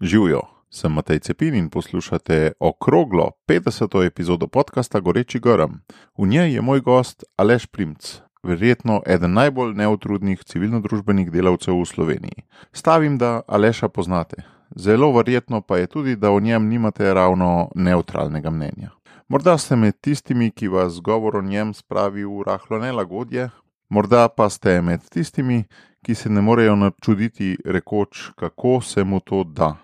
Živijo, sem Matej Cepin in poslušate okroglo 50. epizodo podcasta Goreči grm. V njej je moj gost Aleš Primc, verjetno eden najbolj neutrudnih civilno-družbenih delavcev v Sloveniji. Stavim, da Aleša poznate. Zelo verjetno pa je tudi, da o njem nimate ravno neutralnega mnenja. Morda ste med tistimi, ki vas govor o njem spravi v rahlo nelagodje, morda pa ste med tistimi, ki se ne morejo načuditi rekoč, kako se mu to da.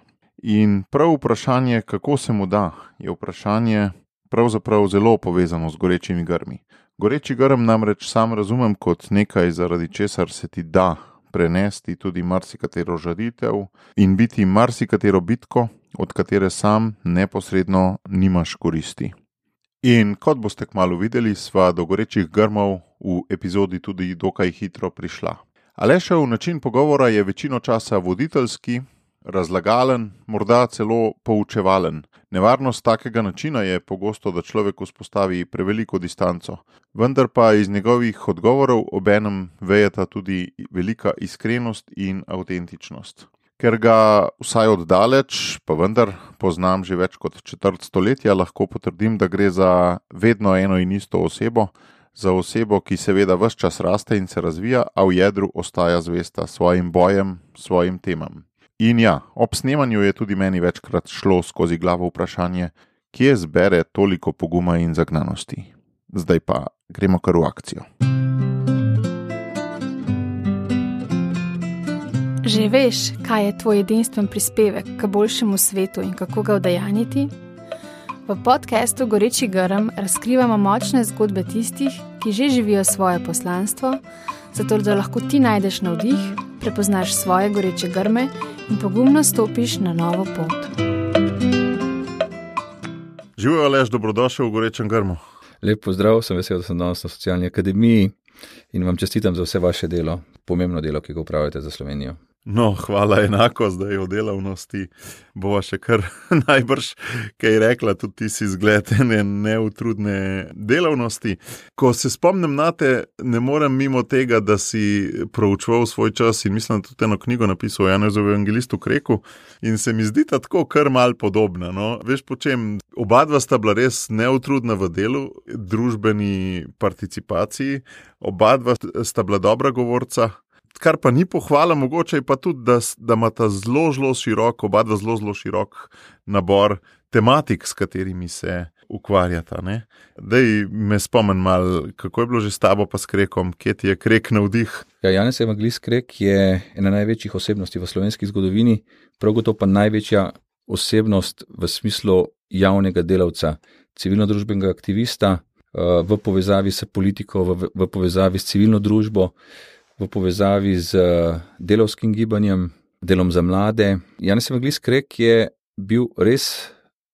In prav vprašanje, kako se mu da, je vprašanje pravzaprav zelo povezano z gorečimi grmi. Goreči grm namreč sam razumem kot nekaj, zaradi česar se ti da prenesti tudi marsikatero žalitev in biti marsikatero bitko, od katere sam neposredno nimaš koristi. In kot boste kmalu videli, sva do gorečih grmov v epizodi tudi dokaj hitro prišla. Alešev način pogovora je večino časa voditeljski, razlagalen, morda celo poučevalen. Nevarnost takega načina je pogosto, da človek vzpostavi preveliko distanco, vendar pa iz njegovih odgovorov obenem vejeta tudi velika iskrenost in avtentičnost. Ker ga vsaj oddaleč, pa vendar poznam že več kot četrt stoletja, lahko potrdim, da gre za vedno eno in isto osebo, za osebo, ki seveda ves čas raste in se razvija, a v jedru ostaja zvesta svojim bojem, svojim temam. In ja, ob snemanju je tudi meni večkrat šlo skozi glavo vprašanje, kje zbere toliko poguma in zagnanosti. Zdaj pa gremo kar v akcijo. Že veš, kaj je tvoj edinstven prispevek k boljšemu svetu in kako ga udejanjiti? V podcastu Goreči grm razkrivamo močne zgodbe tistih, ki že živijo svoje poslanstvo, zato da lahko ti najdeš navdih, prepoznaš svoje goreče grme in pogumno stopiš na novo pot. Živijo, Aleš, dobrodošel v Gorečem grmu. Lep pozdrav, sem vesel, da sem danes na Socialni akademiji in vam čestitam za vse vaše delo, pomembno delo, ki ga upravljate za Slovenijo. No, hvala enako, zdaj o delavnosti bova še kar najbrž kaj rekla, tudi ti si zgled ene neutrudne delavnosti. Ko se spomnim na te, ne morem mimo tega, da si proučeval svoj čas in mislim, da tudi eno knjigo napisal o Janezu Evangelistu Kreku in se mi zdi tako kar mal podobna. No? Veš po čem, oba dva sta bila res neutrudna v delu, družbeni participaciji, oba dva sta bila dobra govorca. Kar pa ni pohvala, mogoče je pa tudi, da imata oba dva zelo širok nabor tematik, s katerimi se ukvarjata. Ne? Daj me spomni malo, kako je bilo že s tabo pa s Krekom, kje ti je Krek navdih? Ja, Janez Evangelist Krek je ena največjih osebnosti v slovenski zgodovini, prav gotovo pa največja osebnost v smislu javnega delavca, civilno-družbenega aktivista, v povezavi s politiko, v povezavi s civilno družbo, v povezavi z delavskim gibanjem, delom za mlade. Janez Evangelist Krek je bil res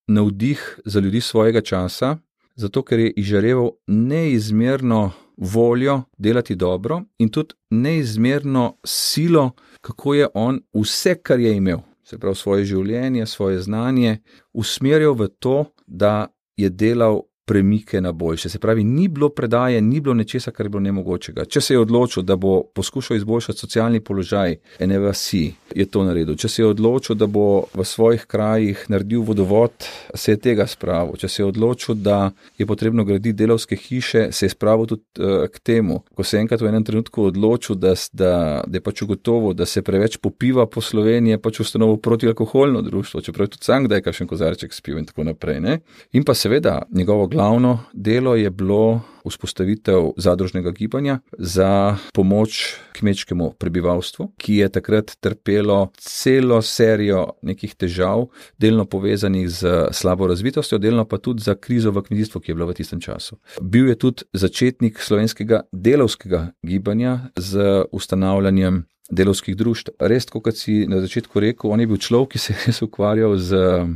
navdih za ljudi svojega časa, zato ker je izžareval neizmerno voljo delati dobro in tudi neizmerno silo, kako je on vse, kar je imel, se pravi svoje življenje, svoje znanje, usmerjal v to, da je delal premike na boljše. Se pravi, ni bilo predaje, ni bilo nečesa, kar je bilo nemogočega. Če se je odločil, da bo poskušal izboljšati socialni položaj ene vasi, je to naredil. Če se je odločil, da bo v svojih krajih naredil vodovod, se je tega spravil. Če se je odločil, da je potrebno graditi delavske hiše, se je spravil tudi k temu. Ko se je enkrat v enem trenutku odločil, da je pač ugotovil, da se preveč popiva po Sloveniji, je pač ustanovil protialkoholno društvo, čeprav je tudi sam kdaj kakšen kozarček spil in tako naprej. Ne? In pa seveda njegovo glavno delo je bilo vzpostavitev zadružnega gibanja za pomoč kmečkemu prebivalstvu, ki je takrat trpelo celo serijo nekih težav, delno povezanih z slabo razvitostjo, delno pa tudi za krizo v kmetijstvu, ki je bila v tistem času. Bil je tudi začetnik slovenskega delavskega gibanja z ustanavljanjem delavskih društev. Res, kot si na začetku rekel, on je bil človek, ki se je res ukvarjal z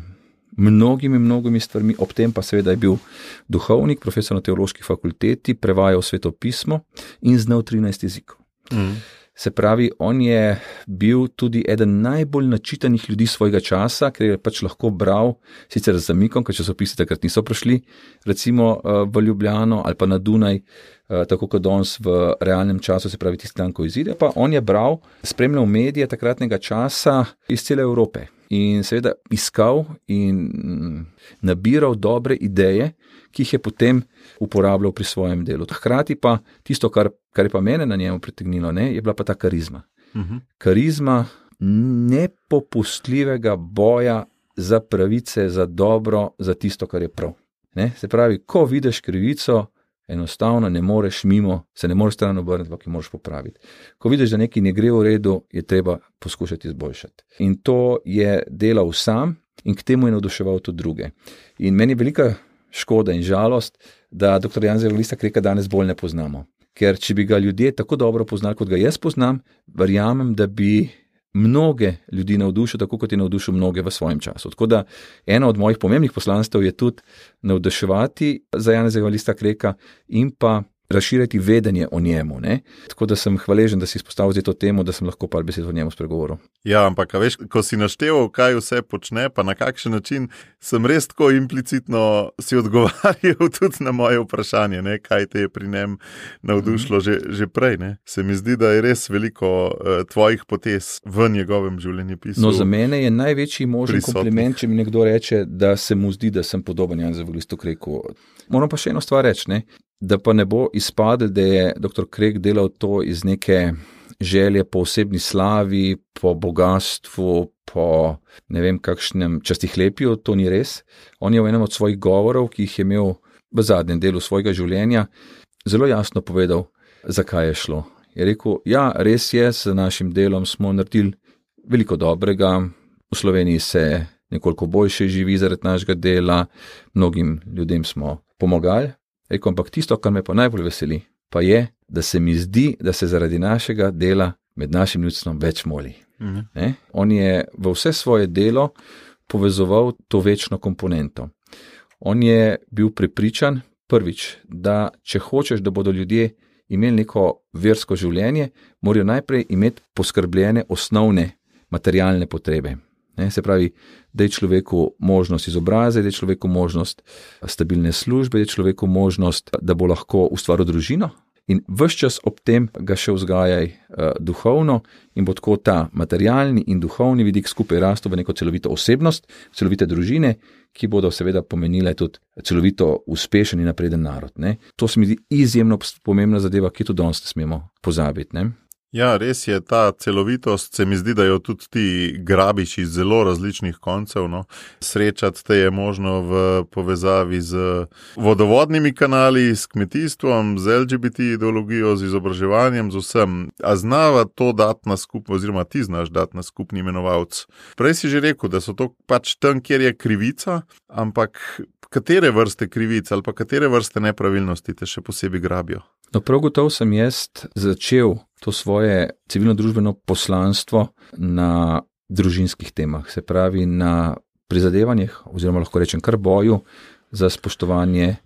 mnogimi stvarmi, ob tem pa seveda je bil duhovnik, profesor na teološki fakulteti, prevajal Sveto pismo in znal 13 jezikov. Se pravi, on je bil tudi eden najbolj načitanih ljudi svojega časa, ker je pač lahko bral, sicer z zamikom, ker časopisi takrat niso prišli, recimo v Ljubljano ali pa na Dunaj, tako kot danes v realnem času, se pravi tisti dan, ko izide, pa on je bral, spremljal medije takratnega časa iz cele Evrope in seveda iskal in nabiral dobre ideje, ki jih je potem uporabljal pri svojem delu. Hkrati pa tisto, kar je pa mene na njemu pritegnilo, je bila pa ta karizma. Karizma nepopustljivega boja za pravice, za dobro, za tisto, kar je prav. Se pravi, ko vidiš krivico, enostavno ne moreš mimo, se ne moreš stran obrniti, ampak jo moraš popraviti. Ko vidiš, da nekaj ne gre v redu, je treba poskušati izboljšati. In to je delal sam in k temu je navduševal tudi druge. In meni je velika škoda in žalost, da dr. Janeza Evangelista Kreka danes bolj ne poznamo. Ker če bi ga ljudje tako dobro poznali, kot ga jaz poznam, verjamem, da bi mnoge ljudi navdušil, tako kot je navdušil mnoge v svojem času. Tako da eno od mojih pomembnih poslanstev je tudi navduševati za Janeza Evangelista Kreka in pa razširiti vedenje o njemu. Tako da sem hvaležen, da si izpostavil to temo, da sem lahko par besed o njemu spregovoril. Ja, ampak veš, ko si našteval, kaj vse počne, pa na kakšen način, sem res tako implicitno si odgovarjal tudi na moje vprašanje, kaj te je pri njem navdušilo že prej. Se mi zdi, da je res veliko tvojih potez v njegovem življenjepisu. No, za mene je največji možen kompliment, če mi nekdo reče, da se mu zdi, da sem podoben Janezu Evangelistu Kreku. Moram pa še eno stvar reči, da pa ne bo izpadel, da je dr. Krek delal to iz neke želje po osebni slavi, po bogatstvu, po ne vem kakšnem častihlepju, to ni res. On je v enem od svojih govorov, ki jih je imel v zadnjem delu svojega življenja, zelo jasno povedal, zakaj je šlo. Je rekel, ja, res je, s našim delom smo naredili veliko dobrega, v Sloveniji se nekoliko boljše živi zaradi našega dela, mnogim ljudem smo pomagali. Rekel, ampak tisto, kar me pa najbolj veseli, pa je, da se mi zdi, da se zaradi našega dela med našim ljudstvom več moli. On je v vse svoje delo povezoval to večno komponento. On je bil prepričan, prvič, da če hočeš, da bodo ljudje imeli neko versko življenje, morajo najprej imeti poskrbljene osnovne materialne potrebe. Se pravi, da je človeku možnost izobraze, da je človeku možnost stabilne službe, da je človeku možnost, da bo lahko ustvaril družino in ves čas ob tem ga še vzgajaj duhovno in bo tako ta materialni in duhovni vidik skupaj rastel v neko celovito osebnost, celovite družine, ki bodo seveda pomenile tudi celovito uspešen in napreden narod. To se mi zdi izjemno pomembna zadeva, ki tudi danes ne smemo pozabiti. Ja, res je, ta celovitost, se mi zdi, da jo tudi ti grabiš iz zelo različnih koncev. Srečati te je možno v povezavi z vodovodnimi kanali, s kmetijstvom, z LGBT ideologijo, z izobraževanjem, z vsem. A znava to dati na skupno, oziroma ti znaš dati na skupni imenovalec. Prej si že rekel, da so to pač tam, kjer je krivica, ampak katere vrste krivic ali pa katere vrste nepravilnosti te še posebej grabijo? No, prav gotovo sem jaz začel to svoje civilno-družbeno poslanstvo na družinskih temah, se pravi na prizadevanjih, oziroma lahko rečem kar boju za spoštovanje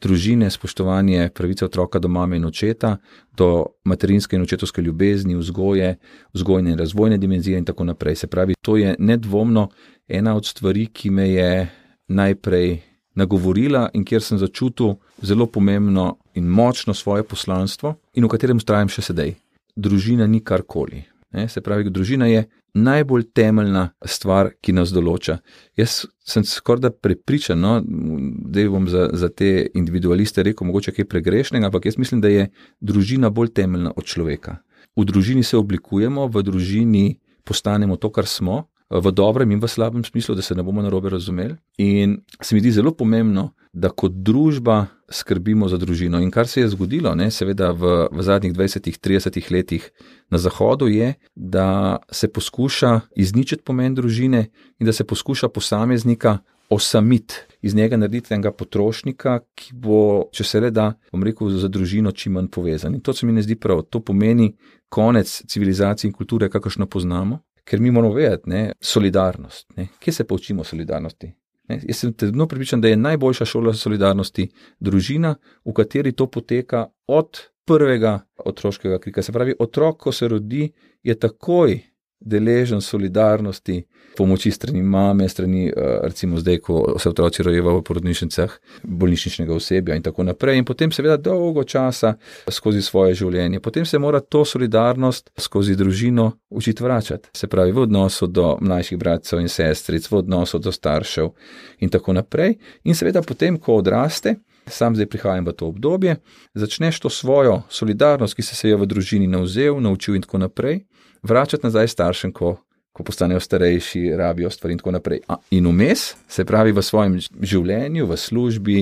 družine, spoštovanje pravice otroka do mame in očeta, do materinske in očetovske ljubezni, vzgoje, vzgojne in razvojne dimenzije in tako naprej. Se pravi, to je nedvomno ena od stvari, ki me je najprej nagovorila in kjer sem začutil zelo pomembno in močno svoje poslanstvo in v katerem vztrajam še sedaj. Družina ni karkoli. Se pravi, družina je najbolj temeljna stvar, ki nas določa. Jaz sem skoraj prepričan, da bom za te individualiste rekel mogoče kaj pregrešnega, ampak jaz mislim, da je družina bolj temeljna od človeka. V družini se oblikujemo, v družini postanemo to, kar smo, v dobrem in v slabem smislu, da se ne bomo narobe razumeli. In se mi zdi zelo pomembno, da kot družba skrbimo za družino. In kar se je zgodilo, seveda v zadnjih 20-30 letih na Zahodu je, da se poskuša izničiti pomen družine in da se poskuša posameznika osamiti, iz njega narediti enega potrošnika, ki bo, če se le da, bom rekel, za družino čim manj povezan. In to se mi ne zdi prav. To pomeni konec civilizacije in kulture, kakršno poznamo. Ker mi moramo vedeti, solidarnost. Kje se poučimo solidarnosti? Jaz sem trdno prepričan, da je najboljša šola solidarnosti družina, v kateri to poteka od prvega otroškega krika. Se pravi, otrok, ko se rodi, je takoj deležen solidarnosti, pomoči strani mame, strani recimo zdaj, ko se otroci rojevajo v porodnišnicah, bolnišničnega osebja in tako naprej. In potem seveda dolgo časa skozi svoje življenje. Potem se mora to solidarnost skozi družino učiti vračati. Se pravi v odnosu do mlajših bratcev in sestric, v odnosu do staršev in tako naprej. In seveda potem, ko odraste, sam zdaj prihajam v to obdobje, začneš to svojo solidarnost, ki se je v družini naučil in tako naprej, vračati nazaj staršem, ko postanejo starejši, rabijo stvari in tako naprej. In vmes, se pravi v svojem življenju, v službi,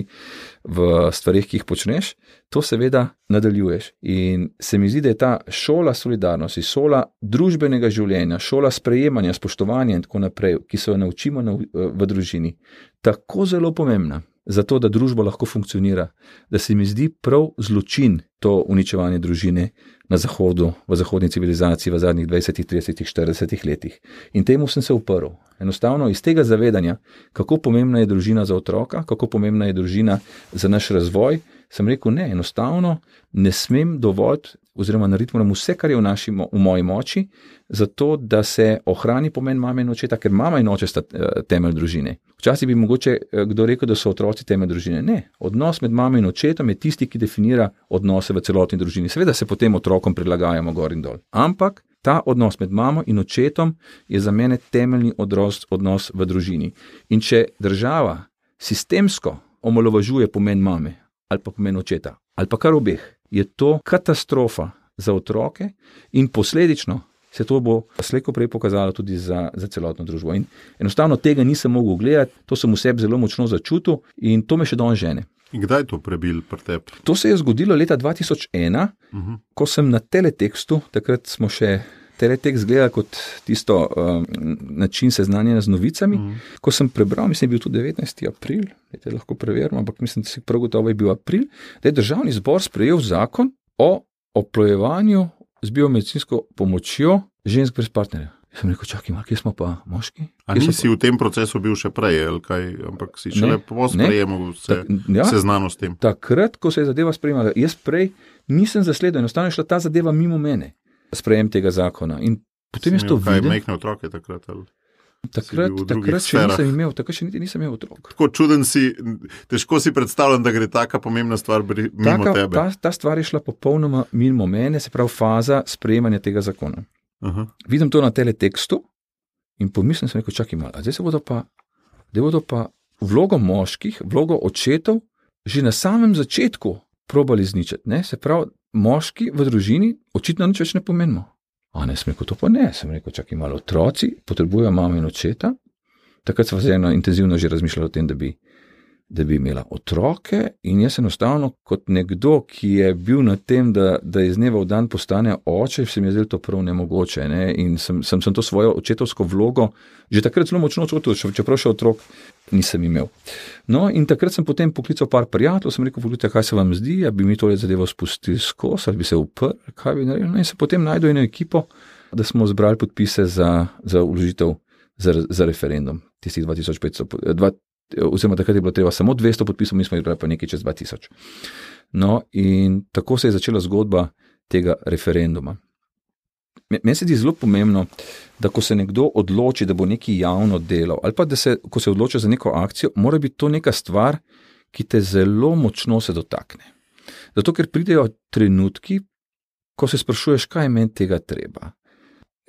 v stvarih, ki jih počneš, to seveda nadaljuješ. In se mi zdi, da je ta šola solidarnosti, šola družbenega življenja, šola sprejemanja, spoštovanja in tako naprej, ki se jo naučimo v družini, tako zelo pomembna. Zato, da družba lahko funkcionira, da se mi zdi prav zločin to uničevanje družine na Zahodu, v zahodni civilizaciji v zadnjih 20, 30, 40 letih. In temu sem se uprl. Enostavno iz tega zavedanja, kako pomembna je družina za otroka, kako pomembna je družina za naš razvoj, sem rekel, ne, enostavno ne smem dovoliti oziroma narediti moram vse, kar je v moji moči, zato da se ohrani pomen mame in očeta, ker mama in oče sta temelj družine. Včasih bi mogoče kdo rekel, da so otroci temelj družine. Ne, odnos med mamo in očetom je tisti, ki definira odnose v celotni družini. Seveda se potem otrokom prilagajamo gor in dol. Ampak ta odnos med mamo in očetom je za mene temeljni odnos v družini. In če država sistemsko omalovažuje pomen mame ali pa pomen očeta, ali pa kar obeh, je to katastrofa za otroke in posledično se to bo slejko prej pokazalo tudi za celotno družbo. In enostavno tega nisem mogel gledati, to sem v sebi zelo močno začutil in to me še danes žene. In kdaj je to prebil pri tebi? To se je zgodilo leta 2001, ko sem na teletekstu, takrat smo še teletekst gledali kot tisto način seznanjanja z novicami, ko sem prebral, mislim, je bil to 19. april, lahko preverim, ampak mislim, da si prav gotovo je bil april, da je Državni zbor sprejel zakon o oplojevanju z biomedicinsko pomočjo žensk brez partnerja. Sem rekel, čakaj, kje smo pa moški? A nisi v tem procesu bil še prej, ali kaj, ampak si šele po sprejemu seznano s tem? Takrat, ko se je zadeva sprejemala, jaz prej nisem zasledil, enostavno je šla ta zadeva mimo mene. Sprejem tega zakona. In potem jaz to videl. Kaj majhne otroke takrat? Takrat še nisem imel otrok. Tako čuden si, težko si predstavljam, da gre taka pomembna stvar mimo tebe. Ta stvar je šla popolnoma mimo mene, se pravi faza sprejemanja tega zakona. Vidim to na teletekstu in pomislim sem rekel, čakaj malo, zdaj se bodo pa vlogo moških, vlogo očetov že na samem začetku probali zničati. Ne? Se pravi, moški v družini očitno nič več ne pomenimo. A ne, sem rekel, to pa ne. Sem rekel, čakaj malo, otroci potrebujejo mamo in očeta. Takrat sva intenzivno že razmišljala o tem, da bi imela otroke in jaz enostavno kot nekdo, ki je bil na tem, da iz dneva v dan postane oče, se mi je zdelo to prav nemogoče. Ne? In sem to svojo očetovsko vlogo že takrat zelo močno čutil, čeprav še otrok nisem imel. No, in takrat sem potem poklical par prijateljev, sem rekel, pogledajte, kaj se vam zdi, a bi mi tole zadevo spustili skozi, ali bi se uprl, kaj bi naredil. No, in se potem najdu eno ekipo, da smo zbrali podpise za vložitev za referendum, tistih 2500, oziroma takrat je bilo treba samo 200 podpisov, mi smo izbrali pa nekaj čez 2000. No, in tako se je začela zgodba tega referenduma. Meni se zdi zelo pomembno, da ko se nekdo odloči, da bo nekaj javno delal, ali pa ko se odloči za neko akcijo, mora biti to neka stvar, ki te zelo močno se dotakne. Zato, ker pridejo trenutki, ko se sprašuješ, kaj je meni tega treba.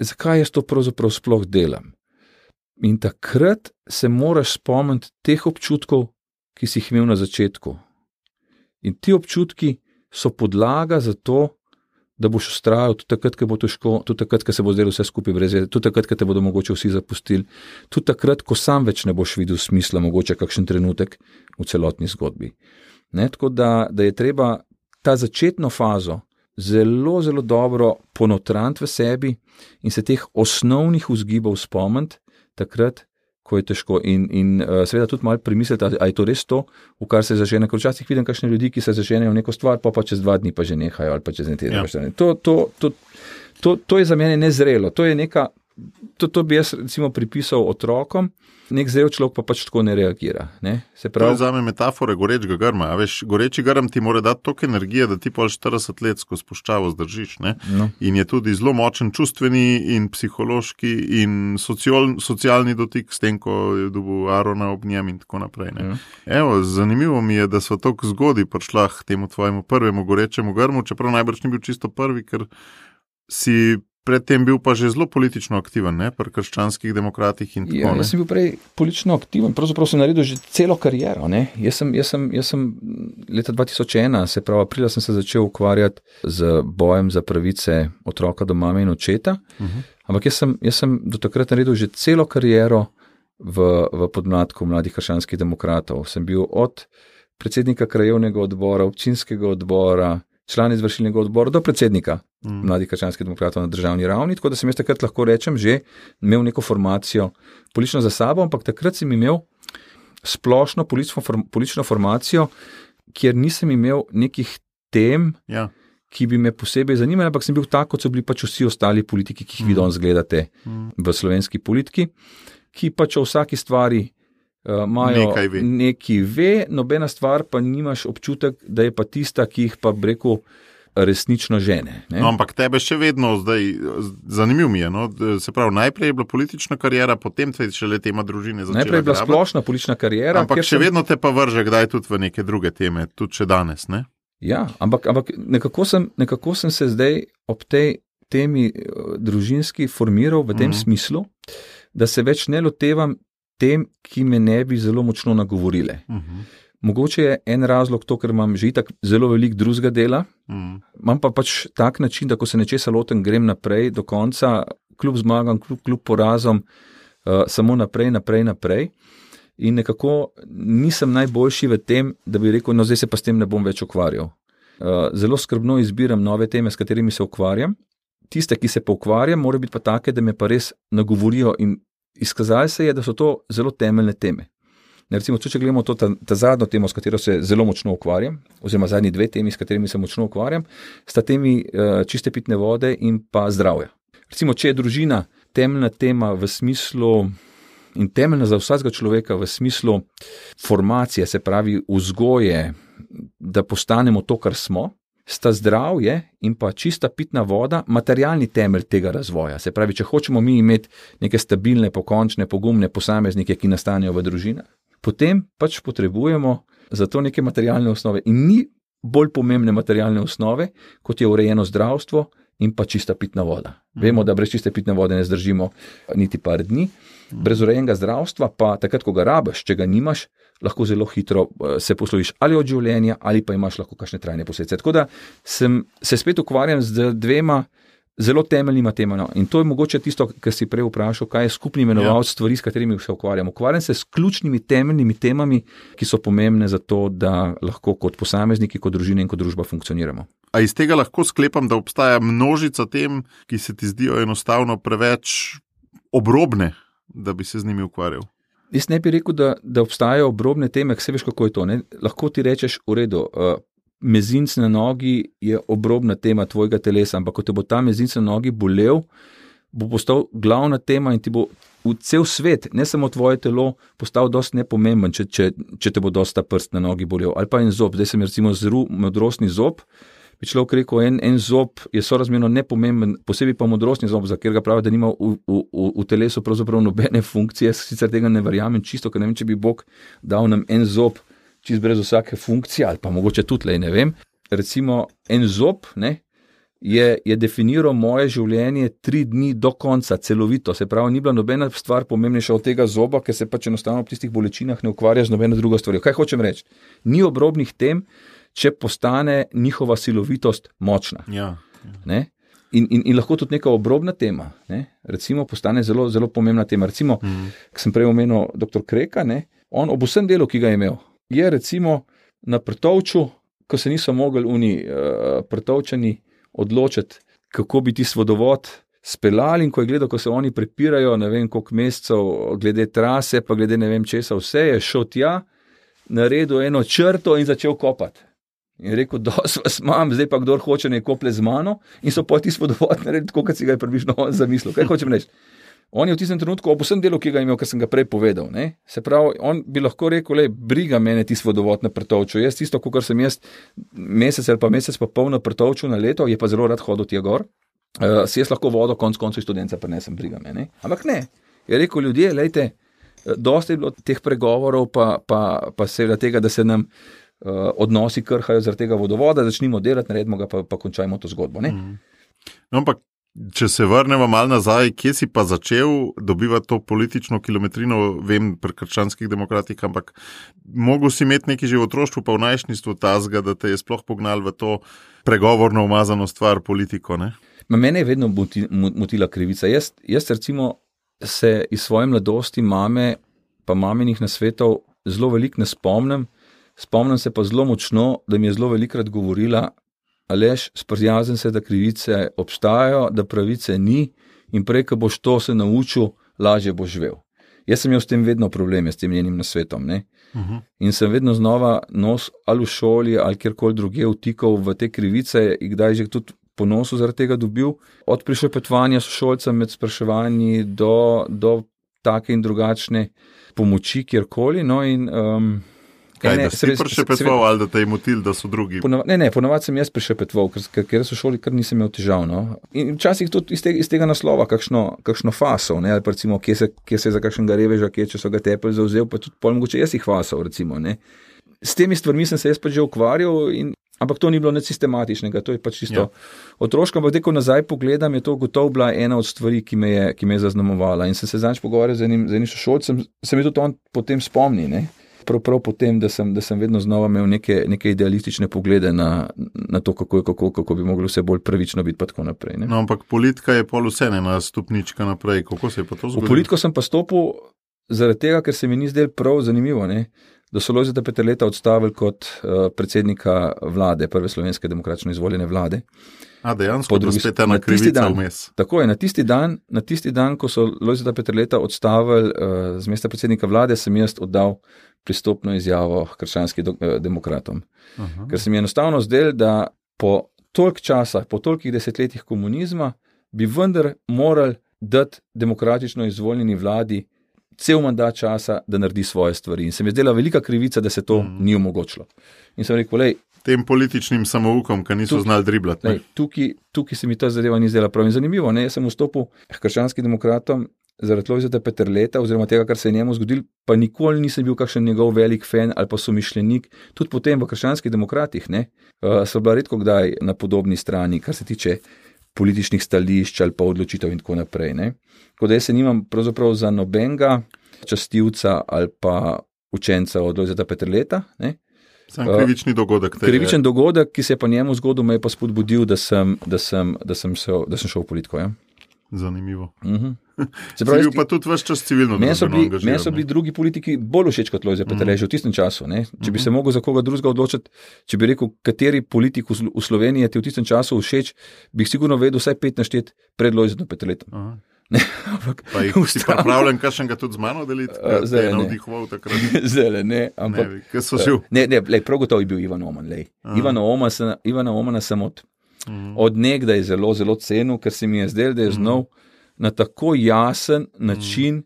Zakaj jaz to pravzaprav sploh delam? In takrat se moraš spomniti teh občutkov, ki si jih imel na začetku. In ti občutki so podlaga za to, da boš vztrajal tudi takrat, ko bo težko, tudi takrat, ko se bo zdelo vse skupaj brez veze, tudi takrat, ko te bodo mogoče vsi zapustili, tudi takrat, ko sam več ne boš videl smisla, mogoče kakšen trenutek v celotni zgodbi. Ne, tako da je treba ta začetno fazo zelo, zelo dobro ponotraniti v sebi in se teh osnovnih vzgibov spomniti takrat, ko je težko. In seveda tudi malo premisliti, ali je to res to, v kar se zažene. Ker včasih vidim kakšne ljudi, ki se zaženejo v neko stvar, pa čez 2 dni pa že nehajo, ali pa čez ne teden. Ja. To je za mene nezrelo. To je neka To bi jaz recimo pripisal otrokom, nek zrel človek pa pač tako ne reagira. Ne? Se pravi, to je zame metafora gorečega grma. A veš, goreči grm ti mora dati toliko energije, da ti pol 40 let skozi puščavo zdržiš. Ne? No. In je tudi zelo močen čustveni in psihološki in socialni dotik s tem, ko je dobil Arona ob njem in tako naprej. Ne? Evo, zanimivo mi je, da so tako zgodaj prišla k temu tvojemu prvemu gorečemu grmu, čeprav najbrž ni bil čisto prvi, ker si predtem bil pa že zelo politično aktiven, ne, pri krščanskih demokratih in tako. Ja, jaz sem bil prej politično aktiven, pravzaprav sem naredil že celo kariero, ne. Jaz sem leta 2001, se pravi aprila, sem se začel ukvarjati z bojem za pravice otroka do mame in očeta, ampak jaz sem do takrat naredil že celo kariero v podmladku mladih krščanskih demokratov. Sem bil od predsednika krajevnega odbora, občinskega odbora, član izvršilnega odbora do predsednika mladih krščanskih demokratov na državni ravni, tako da sem jaz takrat lahko rečem že imel neko formacijo politično za sabo, ampak takrat sem imel splošno politično formacijo, kjer nisem imel nekih tem, ki bi me posebej zanimali, ampak sem bil tak, kot so bili pač vsi ostali politiki, ki jih vi danes gledate v slovenski politiki, ki pač o vsaki stvari imajo nekaj ve, nobena stvar pa nimaš občutek, da je pa tista, ki jih pa rekel resnično žene. Ne? No, ampak tebe še vedno zdaj, zanimivo mi je, no? Se pravi, najprej je bila politična karijera, potem te šele tema družine začela. Najprej je bila splošna politična karijera. Ampak še vedno te pa vrže kdaj tudi v neke druge teme, tudi še danes, ne? Ja, ampak nekako sem se zdaj ob tej temi družinski formiral v tem smislu, da se več ne lotevam tem, ki me ne bi zelo močno nagovorile. Mogoče je en razlog to, ker imam že itak zelo veliko drugega dela, imam pa pač tak način, da ko se nečesa lotem, grem naprej do konca, kljub zmagam, kljub porazom, samo naprej. In nekako nisem najboljši v tem, da bi rekel, no zdaj se pa s tem ne bom več ukvarjal. Zelo skrbno izbiram nove teme, s katerimi se ukvarjam. Tiste, ki se pa ukvarjam, mora biti pa take, da me pa res nagovorijo in izkazali se je, da so to zelo temeljne teme. Recimo, če gledamo to ta zadnjo temo, s katero se zelo močno ukvarjam, oziroma zadnji dve temi, s katerimi se močno ukvarjam, sta temi čiste pitne vode in pa zdravja. Recimo, če je družina temeljna tema v smislu in temeljna za vsakega človeka v smislu formacije, se pravi vzgoje, da postanemo to, kar smo, sta zdravje in pa čista pitna voda materialni temelj tega razvoja. Se pravi, če hočemo mi imeti neke stabilne, pokončne, pogumne posameznike, ki nastanejo v družinah, potem pač potrebujemo za to neke materialne osnove. In ni bolj pomembne materialne osnove, kot je urejeno zdravstvo in pa čista pitna voda. Vemo, da brez čiste pitne vode ne zdržimo niti par dni. Brez urejenega zdravstva pa takrat, ko ga rabiš, če ga nimaš, lahko zelo hitro se posloviš ali od življenja, ali pa imaš lahko kakšne trajne posledice. Tako da se spet ukvarjam z dvema zelo temeljnima temama. In to je mogoče tisto, kar si prej vprašal, kaj je skupni imenovalec stvari, s katerimi se ukvarjam. Ukvarjam se s ključnimi temeljnimi temami, ki so pomembne za to, da lahko kot posamezniki, kot družine in kot družba funkcioniramo. A iz tega lahko sklepam, da obstaja množica tem, ki se ti zdijo enostavno preveč obrobne, da bi se z njimi ukvarjal? Jaz ne bi rekel, da obstajajo obrobne teme, vse veš, kako je to. Ne? Lahko ti rečeš, v redu, mezinc na nogi je obrobna tema tvojega telesa, ampak ko te bo ta mezinc na nogi bolel, bo postal glavna tema in ti bo v cel svet, ne samo tvoje telo, postal dosti nepomemben, če te bo dosti ta prst na nogi bolel. Ali pa en zob, zdaj sem recimo zrl modrostni zob, bi človek rekel, en zob je sorazmerno nepomemben, posebej pa modrostni zob, za ker ga pravi, da nima v telesu pravzaprav nobene funkcije, sicer tega ne verjamem čisto, ker ne vem, če bi Bog dal nam en zob, čist brez vsake funkcije, ali pa mogoče tudi, ne vem. Recimo, en zob, ne, je definiral moje življenje 3 dni do konca, celovito. Se pravi, ni bila nobena stvar pomembnejša od tega zoba, ker se pač enostavno v tistih bolečinah ne ukvarja z nobeno drugo stvar. Kaj hočem reči? Ni obrobnih tem, če postane njihova silovitost močna. Ja. Ne? In lahko tudi neka obrobna tema, ne? Recimo postane zelo, zelo pomembna tema. Recimo, ko sem prej omenil dr. Kreka, ne? On ob vsem delu, ki ga je imel, je recimo na Prtovču, ko se niso mogli Prtovčani odločiti, kako bi tisti vodovod speljali, in ko je gledal, ko se oni prepirajo, ne vem koliko mesecev, glede trase, pa glede ne vem česa, vse je šel tja, naredil eno črto in začel kopati. In rekel, dosti vas imam, zdaj pa kdor hoče ne kople z mano, in so pa tisti vodovod naredili tako, kot si ga je približno zamislil. Kaj hočem reči? On je v tistem trenutku ob vsem delu, ki ga je imel, kar sem ga prej povedal. Ne? Se pravi, on bi lahko rekel, briga mene tisti vodovod na Pretovču. Jaz tisto, kar sem jaz mesec ali pa mesec pa pol na Pretovču na leto, je pa zelo rad hodil tja gor. Si jaz lahko vodo konc koncev študenca prenesem, briga mene. Ampak ne. Je rekel ljudje, lejte, dosti je bilo teh pregovorov pa seveda tega, da se nam odnosi krhajo zaradi tega vodovoda, začnimo delati, naredimo ga pa končajmo to zgodbo. Ne? No, ampak če se vrnemo malo nazaj, kje si pa začel dobivati to politično kilometrino, vem, pri krščanskih demokratih, ampak mogel si imeti neki že v otroštvu pa v najstništvu tazga, da te je sploh pognal v to pregovorno umazano stvar politiko, ne? Mene je vedno motila krivica. Jaz recimo se iz svoje mladosti mame pa maminih nasvetov zelo veliko ne spomnim. Spomnim se pa zelo močno, da mi je zelo velikrat govorila, Aleš, sprijazen se, da krivice obstajajo, da pravice ni in prej, ko boš to se naučil, lažje boš živel. Jaz sem imel s tem vedno probleme, s tem njenim nasvetom. Ne? In sem vedno znova nos ali v šoli ali kjerkoli druge vtikal v te krivice in kdaj že tudi ponosu zaradi tega dobil. Od prišepetovanja sošolcem med spraševanji do take in drugačne pomoči kjerkoli. No in Kaj, da si prišepetoval ali da te je motil, da so drugi? Ponavadi sem jaz prišepetoval, ker so šoli, kar nisem imel težav. No? In včasih tudi iz tega naslova kakšno faso, ne? Ali pa recimo, kje se je za kakšnega reveža, če so ga tepelj zauzel, pa tudi pol mogoče jaz jih fasal, recimo. Ne? S temi stvarmi sem se jaz pač že ukvarjal, ampak to ni bilo nič sistematičnega, to je pač čisto otroško, ampak ko nazaj pogledam, je to gotovo bila ena od stvari, ki me je zaznamovala. In sem se zadnjič pogovarjal z enim sošolcem, se mi tudi on potem spomni, ne? Prav potem, da sem vedno znova imel neke idealistične poglede na to, kako bi moglo vse bolj pravično biti, pa tako naprej. Ne? No, ampak politika je pol vse ena stopnička naprej. Kako se je pa to zgodilo? V politiko sem pa stopil zaradi tega, ker se mi ni zdel prav zanimivo, ne? Da so Lojzeta Peterleta odstavili kot predsednika vlade, prve slovenske demokratično izvoljene vlade. Dejansko, da spet ena krivica vmes. Tako je, na tisti dan, ko so Lojzeta Peterleta odstavili z mesta predsednika vlade, sem jaz oddal pristopno izjavo krščanskim demokratom. Ker se mi je enostavno zdel, da po toliko časa, po tolikih desetletjih komunizma, bi vendar morali dati demokratično izvoljeni vladi cel mandat časa, da naredi svoje stvari. In se mi je zdela velika krivica, da se to ni omogočilo. In sem rekel, tem političnim samoukom, ki niso znali driblati. Tukaj se mi ta zadeva ni zdela prav in zanimivo. Ne? Jaz sem vstopil k krščanskim demokratom zaradi Lojzeta Peterleta oziroma tega, kar se je njemu zgodil, pa nikoli nisem bil kakšen njegov velik fan ali pa somišljenik. Tudi potem v krščanskih demokratih so bila redko kdaj na podobni strani, kar se tiče političnih stališč ali pa odločitev in tako naprej. Ne? Tako da jaz se nimam pravzaprav za nobenega častilca ali pa učenca od Lojzeta Peterleta. Ne? Sam krivični dogodek. Krivičen dogodek, ki se je pa njemu zgodil, me je pa spodbudil, da sem šel v politiko. Ja? Zanimivo. Se pravi, bil pa tudi ves čas civilno družbeno angažiran. Meni so bili drugi politiki bolj všeč kot Lojze Peterle, že v tistem času. Ne? Če bi se mogel za koga drugega odločiti, če bi rekel, kateri politik v Sloveniji je ti v tistem času všeč, bi jih sigurno vedel vsaj 5 naštet pred Lojzetom Peterletom. Pa jih si pripravljen kakšnega tudi z mano deliti, kaj te je navdihoval takrat? Zdaj ne, ampak... Kaj so živ? Prav gotovo je bil Ivan Oman. Ivana Omana sem od nekdaj zelo, zelo cenil, ker se mi je zdel, da je znal na tako jasen način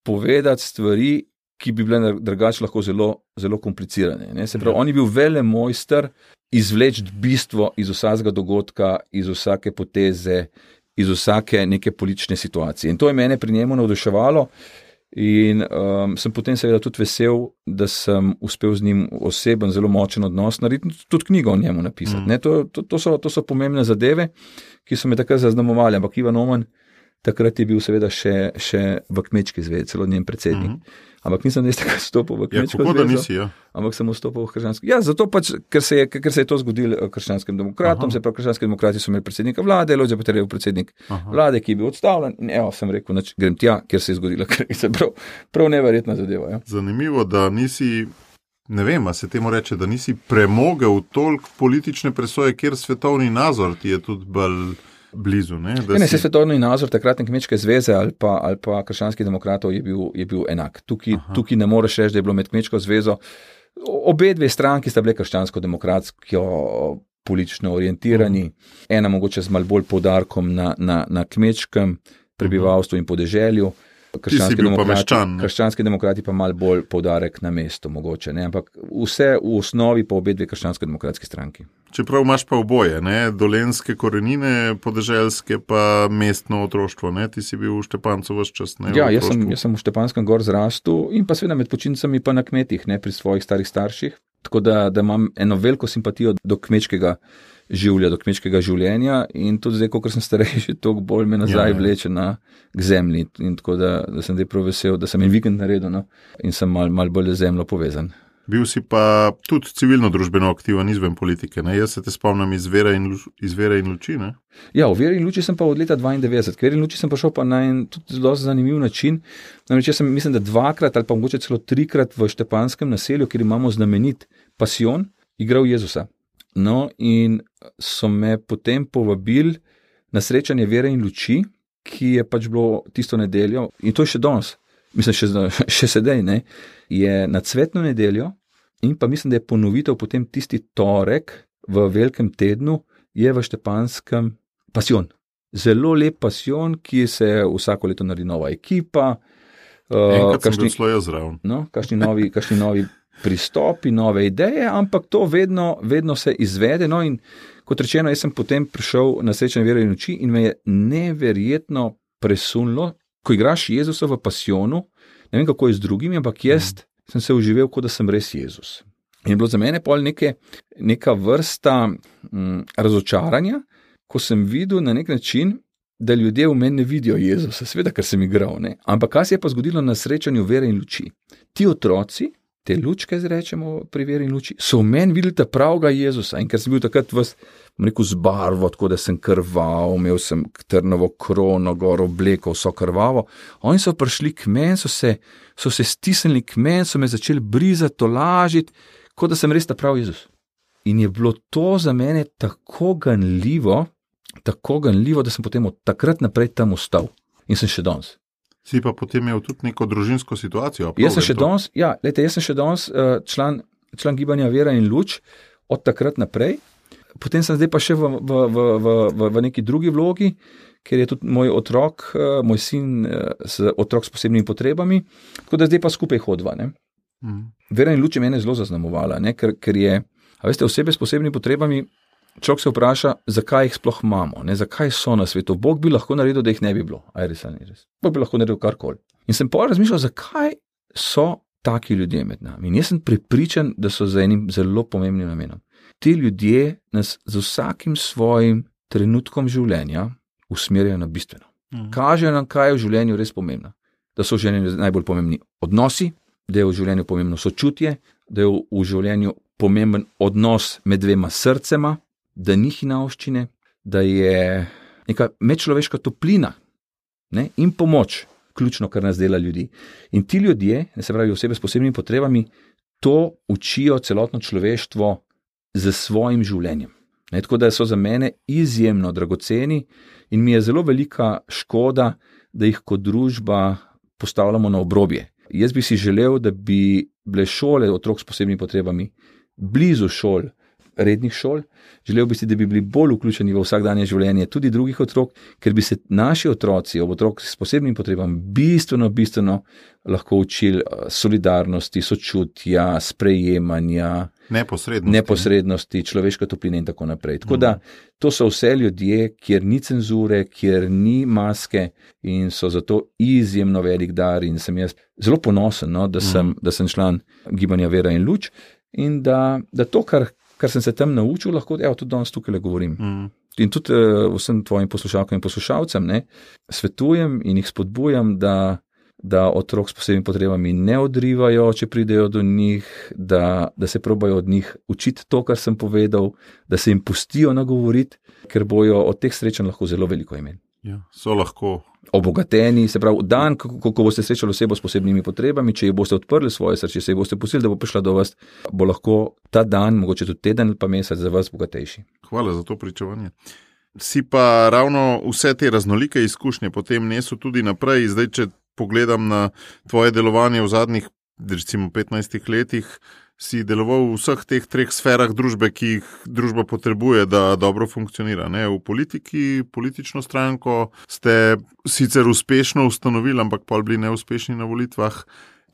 povedati stvari, ki bi bile drugače lahko zelo, zelo komplicirane. Ne? Se pravi, on je bil velemojster izvleči bistvo iz vsakega dogodka, iz vsake poteze, iz vsake neke politične situacije. In to je mene pri njemu navduševalo in sem potem seveda tudi vesel, da sem uspel z njim oseben, zelo močen odnos narediti, tudi knjigo o njemu napisati. Ne? To so pomembne zadeve, ki so me takrat zaznamovali, ampak Ivan Oman takrat je bil seveda še v Kmečki zvezi, celo njen predsednik. Ampak nisem takrat stopil v Kmečko zvezo, ampak sem vstopil v krščansko. Ja, zato pač, ker se je to zgodilo krščanskim demokratom, se pravi, krščanski demokrati so imeli predsednika vlade, Lojze Peterle predsednik vlade, ki je bil odstavljen in sem rekel, grem tja, kjer se je zgodila krivica. Prav neverjetna zadeva. Ja. Zanimivo, da nisi, ne vem, a se temu reče, da nisi premogel toliko politične presoje, kjer svetovni nazor ti je tudi bolj blizu. Se svetovni nazor takratne Kmečke zveze ali pa krščanskih demokratov je bil enak. Tukaj ne moreš reči, da je bilo med Kmečko zvezo. Obe dve stranki sta bile krščansko-demokratsko politično orientirani. Ena mogoče z malo bolj poudarkom na Kmečkem, prebivalstvu in podeželju. Krščanski demokrati pa malo bolj poudarek na mestu, mogoče, ne? Ampak vse v osnovi pa obe dve krščansko-demokratski stranki. Čeprav imaš pa oboje, ne? Dolenjske korenine, podeželske pa mestno otroštvo, ne? Ti si bil v Štepancu ves čas, ne? Ja, jaz sem v Štepanskem gor zrastel in pa seveda med počitnicami pa na kmetih, ne? Pri svojih starih starših. Tako da imam eno veliko simpatijo do kmečkega življa, do kmečkega življenja in tudi zdaj, ko sem starejši, toliko bolj me nazaj vleče k zemlji in tako da sem zdaj prav vesel, da sem en vikend naredil, no, in sem mal bolj z zemljo povezan. Bil si pa tudi civilno-družbeno aktiven izven politike, ne? Jaz se te spomnim iz Vere in luči, ne? Ja, v Veri in luči sem pa od leta 92. K Veri in luči sem pa šel pa na en tudi zelo zanimiv način. Namreč jaz sem, mislim, da 2-krat ali pa mogoče celo 3-krat v Štepanskem naselju, kjer imamo znamenit pasijon, igral Jezusa. No, in so me potem povabili na srečanje Vere in luči, ki je pač bilo tisto nedeljo, in to je še danes, mislim, še sedaj, ne, je na cvetno nedeljo in pa mislim, da je ponovitev potem tisti torek v velikem tednu je v Štepanskem pasijon. Zelo lep pasijon, ki se vsako leto naredi nova ekipa. Enkrat sem bil celo jaz zraven. No, kakšni novi pristopi, nove ideje, ampak to vedno se izvede. No, in kot rečeno, jaz sem potem prišel na srečanje Vere in luči in me je neverjetno presunilo, ko igraš Jezusa v pasijonu, ne vem, kako je z drugimi, ampak jaz sem se uživel, kot da sem res Jezus. In je bilo za mene pol neka vrsta razočaranja, ko sem videl na nek način, da ljudje v meni ne vidijo Jezusa, seveda, ker sem igral, ne. Ampak kaj se je pa zgodilo na srečanju Vere in luči? Ti otroci, te lučke zrečemo pri Veri in luči, so v meni videli ta pravega Jezusa in ker sem bil takrat z barvo, tako da sem krval, imel sem trnovo krono, gor obleko, vso krvavo, oni so prišli k meni, so se stisnili k meni, so me začeli brizati, tolažiti, kot da sem res ta prav Jezus. In je bilo to za mene tako ganljivo, da sem potem od takrat naprej tam ostal in sem še danes. Si pa potem imel tudi neko družinsko situacijo. Jaz sem še danes član gibanja Vera in luč od takrat naprej. Potem sem zdaj pa še v neki drugi vlogi, ker je tudi moj otrok, moj sin, otrok s posebnimi potrebami, tako da zdaj pa skupaj hodva. Ne? Vera in luč je mene zelo zaznamovala, ne? Ker je, a veste, osebe s posebnimi potrebami, človek se vpraša, zakaj jih sploh imamo, ne? Zakaj so na svetu. Bog bi lahko naredil, da jih ne bi bilo. Res. Bog bi lahko naredil karkoli. In sem pa razmišljal, zakaj so taki ljudje med nami. In jaz sem prepričan, da so za enim zelo pomembnim namenom. Ti ljudje nas z vsakim svojim trenutkom življenja usmerjajo na bistveno. Kažejo nam, kaj je v življenju res pomembno. Da so v življenju najbolj pomembni odnosi, da je v življenju pomembno sočutje, da je v življenju pomemben odnos med dvema srcema, da ni hinavščine, da je neka medčloveška toplina, ne, in pomoč, ključno, kar nas dela ljudi. In ti ljudje, se pravi osebe s posebnimi potrebami, to učijo celotno človeštvo z svojim življenjem. Ne, tako da so za mene izjemno dragoceni in mi je zelo velika škoda, da jih kot družba postavljamo na obrobje. Jaz bi si želel, da bi bile šole otrok s posebnimi potrebami blizu šol, rednih šol. Želel bi si, da bi bili bolj vključeni v vsakdanje življenje tudi drugih otrok, ker bi se naši otroci, otrok s posebnimi potrebami, bistveno lahko učili solidarnosti, sočutja, sprejemanja, neposrednosti, človeške topline in tako naprej. Tako da to so vse ljudje, kjer ni cenzure, kjer ni maske in so zato izjemno velik dar in sem jaz zelo ponosen, no, da sem član gibanja Vera in luč in da to, kar sem se tam naučil, lahko tudi danes tukaj govorim. In tudi vsem tvojim poslušalkam in poslušalcem svetujem in jih spodbujam, da otrok s posebnimi potrebami ne odrivajo, če pridejo do njih, da se probajo od njih učiti to, kar sem povedal, da se jim pustijo nagovoriti, ker bojo od teh srečanj lahko zelo veliko imeli. Ja, so lahko obogateni, se pravi, dan, ko boste srečali osebo s posebnimi potrebami, če ji boste odprli svoje srce, če ji boste pustili, da bo prišla do vas, bo lahko ta dan, mogoče tudi teden ali pa mesec za vas bogatejši. Hvala za to pričevanje. Si pa ravno vse te raznolike izkušnje potem nesel tudi naprej. Zdaj, če pogledam na tvoje delovanje v zadnjih, recimo 15 letih, si deloval v vseh teh 3 sferah družbe, ki jih družba potrebuje, da dobro funkcionira. Ne? V politiki, politično stranko ste sicer uspešno ustanovili, ampak pol bili neuspešni na volitvah,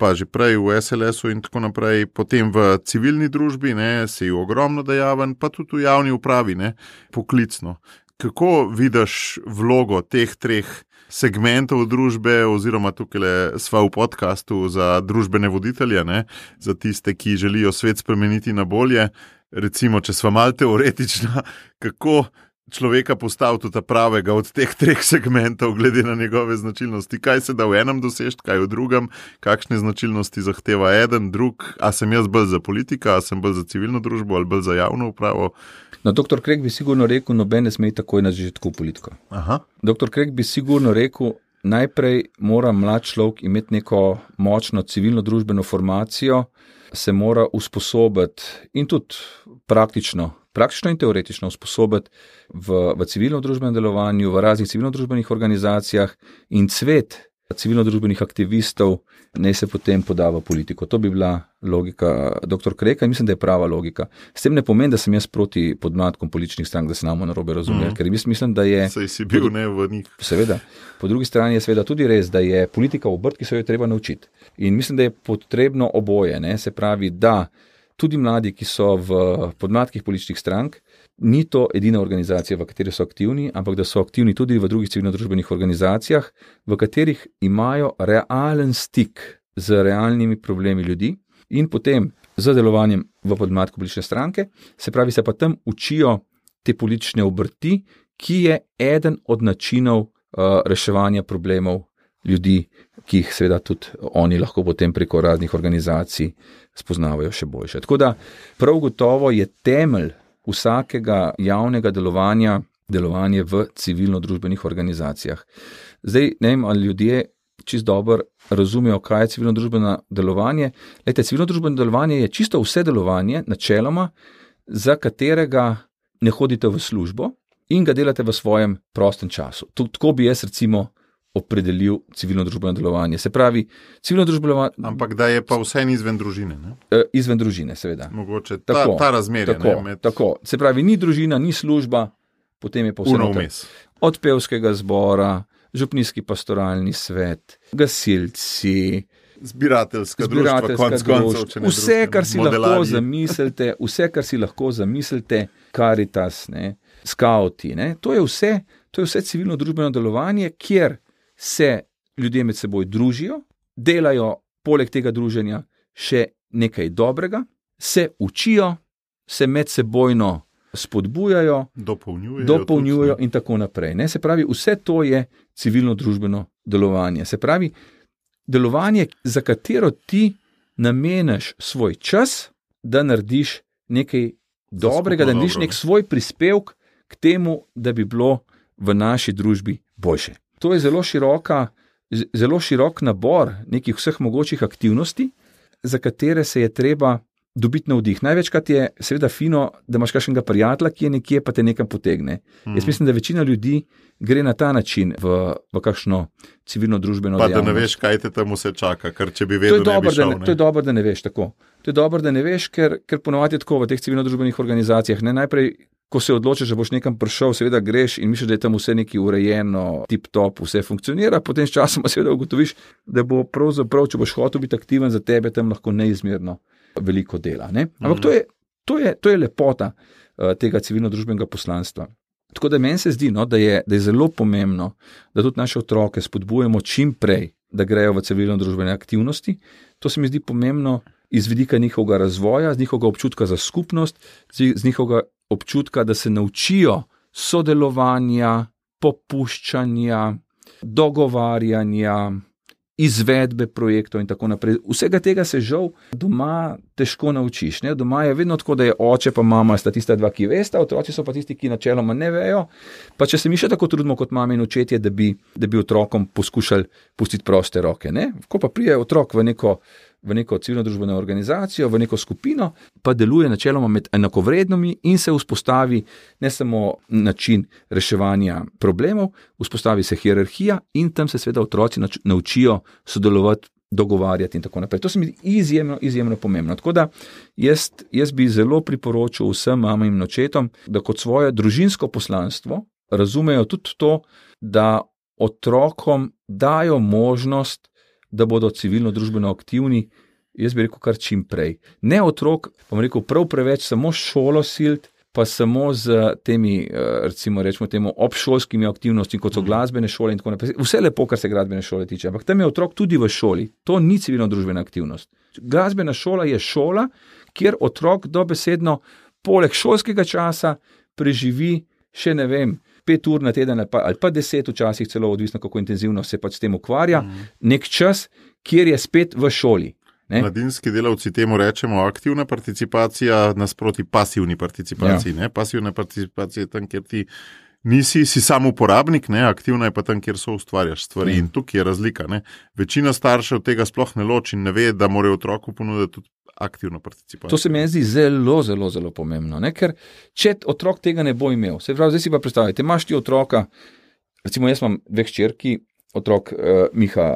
pa že prej v SLS-u in tako naprej, potem v civilni družbi, ne, si ogromno dejaven, pa tudi v javni upravi, ne, poklicno. Kako vidiš vlogo teh 3 segmentov družbe, oziroma tukaj sva v podcastu za družbene voditelje, ne, za tiste, ki želijo svet spremeniti na bolje. Recimo, če sva malo teoretična, kako človeka postaviti ta pravega od teh 3 segmentov, glede na njegove značilnosti, kaj se da v enem doseči, kaj v drugem, kakšne značilnosti zahteva eden, drug, a sem jaz bolj za politika, a sem bolj za civilno družbo ali bolj za javno upravo. No, dr. Krek bi sigurno rekel, noben ne sme takoj na začetku v politiko. Aha. Dr. Krek bi sigurno rekel, najprej mora mlad človek imeti neko močno civilno družbeno formacijo, se mora usposobiti in tudi praktično in teoretično usposobiti v civilno družbenem delovanju, v raznih civilno družbenih organizacijah in cvet civilno-družbenih aktivistov ne se potem poda v politiko. To bi bila logika dr. Kreka in mislim, da je prava logika. S tem ne pomeni, da sem jaz proti podmladkom političnih strank, da se nam narobe razume, ker mislim, da je... Saj si bil ne v njih. Seveda. Po drugi strani je seveda tudi res, da je politika obrt, ki se jo treba naučiti. In mislim, da je potrebno oboje, ne? Se pravi, da tudi mladi, ki so v podmladkih političnih strank, ni to edina organizacija, v kateri so aktivni, ampak da so aktivni tudi v drugih civilno-družbenih organizacijah, v katerih imajo realen stik z realnimi problemi ljudi in potem z delovanjem v podmladku politične stranke, se pravi, se pa tam učijo te politične obrti, ki je eden od načinov reševanja problemov ljudi, ki jih seveda tudi oni lahko potem preko raznih organizacij spoznavajo še boljše. Tako da prav gotovo je temelj vsakega javnega delovanje v civilno-družbenih organizacijah. Zdaj, ne vem, ali ljudje čisto dobro razumejo, kaj je civilno-družbeno delovanje. Lejte, civilno-družbeno delovanje je čisto vse delovanje, načeloma, za katerega ne hodite v službo in ga delate v svojem prostem času. Tako bi jaz recimo opredelil civilno-družbeno delovanje. Se pravi, civilno-družbeno... Ampak da je pa vse izven družine, ne? Izven družine, seveda. Mogoče tako, ta razmerje. Tako. Se pravi, ni družina, ni služba, potem je pa vse vmes. Od pevskega zbora, župnijski pastoralni svet, gasilci, zbirateljska društva, konec koncev, vse, kar si lahko zamislite, Karitas, ne, skauti, ne, to je vse civilno-družbeno delovanje, kjer se ljudje med seboj družijo, delajo poleg tega druženja še nekaj dobrega, se učijo, se medsebojno spodbujajo, dopolnjujejo in tako naprej. Ne? Se pravi, vse to je civilno-družbeno delovanje. Se pravi, delovanje, za katero ti nameniš svoj čas, da narediš nekaj dobrega, da narediš nek svoj prispevek k temu, da bi bilo v naši družbi boljše. To je zelo širok nabor nekih vseh mogočih aktivnosti, za katere se je treba dobiti navdih. Največkrat je seveda fino, da imaš kakšnega prijatelja, ki je nekje, pa te nekam potegne. Jaz mislim, da večina ljudi gre na ta način v kakšno civilno-družbeno dejavnost. Pa da ne veš, kaj te tam vse čaka, ker če bi vedel, ne bi šel. To je dobro, da ne veš tako. To je dobro, da ne veš, ker ponovadi je tako v teh civilno-družbenih organizacijah. Ne, najprej, ko se odločiš, da boš nekam prišel, seveda greš in misliš, da je tam vse nekaj urejeno, tip-top, vse funkcionira, potem s časom seveda ugotoviš, da bo pravzaprav, če boš hotel biti aktiven za tebe, tam lahko neizmerno veliko dela. Ne? Ampak to je lepota tega civilno-družbenega poslanstva. Tako da meni se zdi, no, da je zelo pomembno, da tudi naše otroke spodbujamo čim prej, da grejo v civilno-družbene aktivnosti. To se mi zdi pomembno iz vidika njihovega razvoja, z njihovega občutka za skupnost, z njihovega občutka, da se naučijo sodelovanja, popuščanja, dogovarjanja, izvedbe projektov in tako naprej. Vsega tega se žal doma težko naučiš. Ne? Doma je vedno tako, da je oče pa mama sta tista dva, ki vesta, otroci so pa tisti, ki načeloma ne vejo. Pa če se mi še tako trudimo kot mame in očetje, da bi otrokom poskušali pustiti proste roke. Ne? Ko pa prije otrok v neko civilno-družbeno organizacijo, v neko skupino, pa deluje načeloma med enakovrednimi in se vzpostavi ne samo način reševanja problemov, vzpostavi se hierarhija in tam se seveda otroci naučijo sodelovati dogovarjati in tako naprej. To se mi izjemno pomembno. Tako da jaz bi zelo priporočil vsem mamam in očetom, da kot svoje družinsko poslanstvo razumejo tudi to, da otrokom dajo možnost, da bodo civilno-družbeno aktivni, jaz bi rekel kar čim prej. Ne otrok, bom rekel, prav preveč samo šolo silt, pa samo z temi, recimo rečemo temu, obšolskimi aktivnosti, kot so glasbene šole in tako naprej. Vse lepo, kar se glasbene šole tiče, ampak tam je otrok tudi v šoli. To ni civilno-družbena aktivnost. Glasbena šola je šola, kjer otrok dobesedno poleg šolskega časa preživi še, 5 ur na teden ali pa 10 včasih celo, odvisno kako intenzivno se pač s tem ukvarja, nek čas, kjer je spet v šoli. Ne? Mladinski delavci temu rečemo aktivna participacija nasproti pasivni participaciji. Ja. Pasivna participacija je tam, kjer ti si sam uporabnik, ne? Aktivna je pa tam, kjer ustvarjaš stvari. In tukaj je razlika. Ne? Večina staršev tega sploh ne loči in ne ve, da morajo otroku ponuditi tudi aktivno participacijo. To se mi zdi zelo pomembno, ne? Ker če otrok tega ne bo imel, se pravi, zdaj si pa predstavljate, imaš ti otroka, recimo jaz imam 2 hčerki, otrok Miha,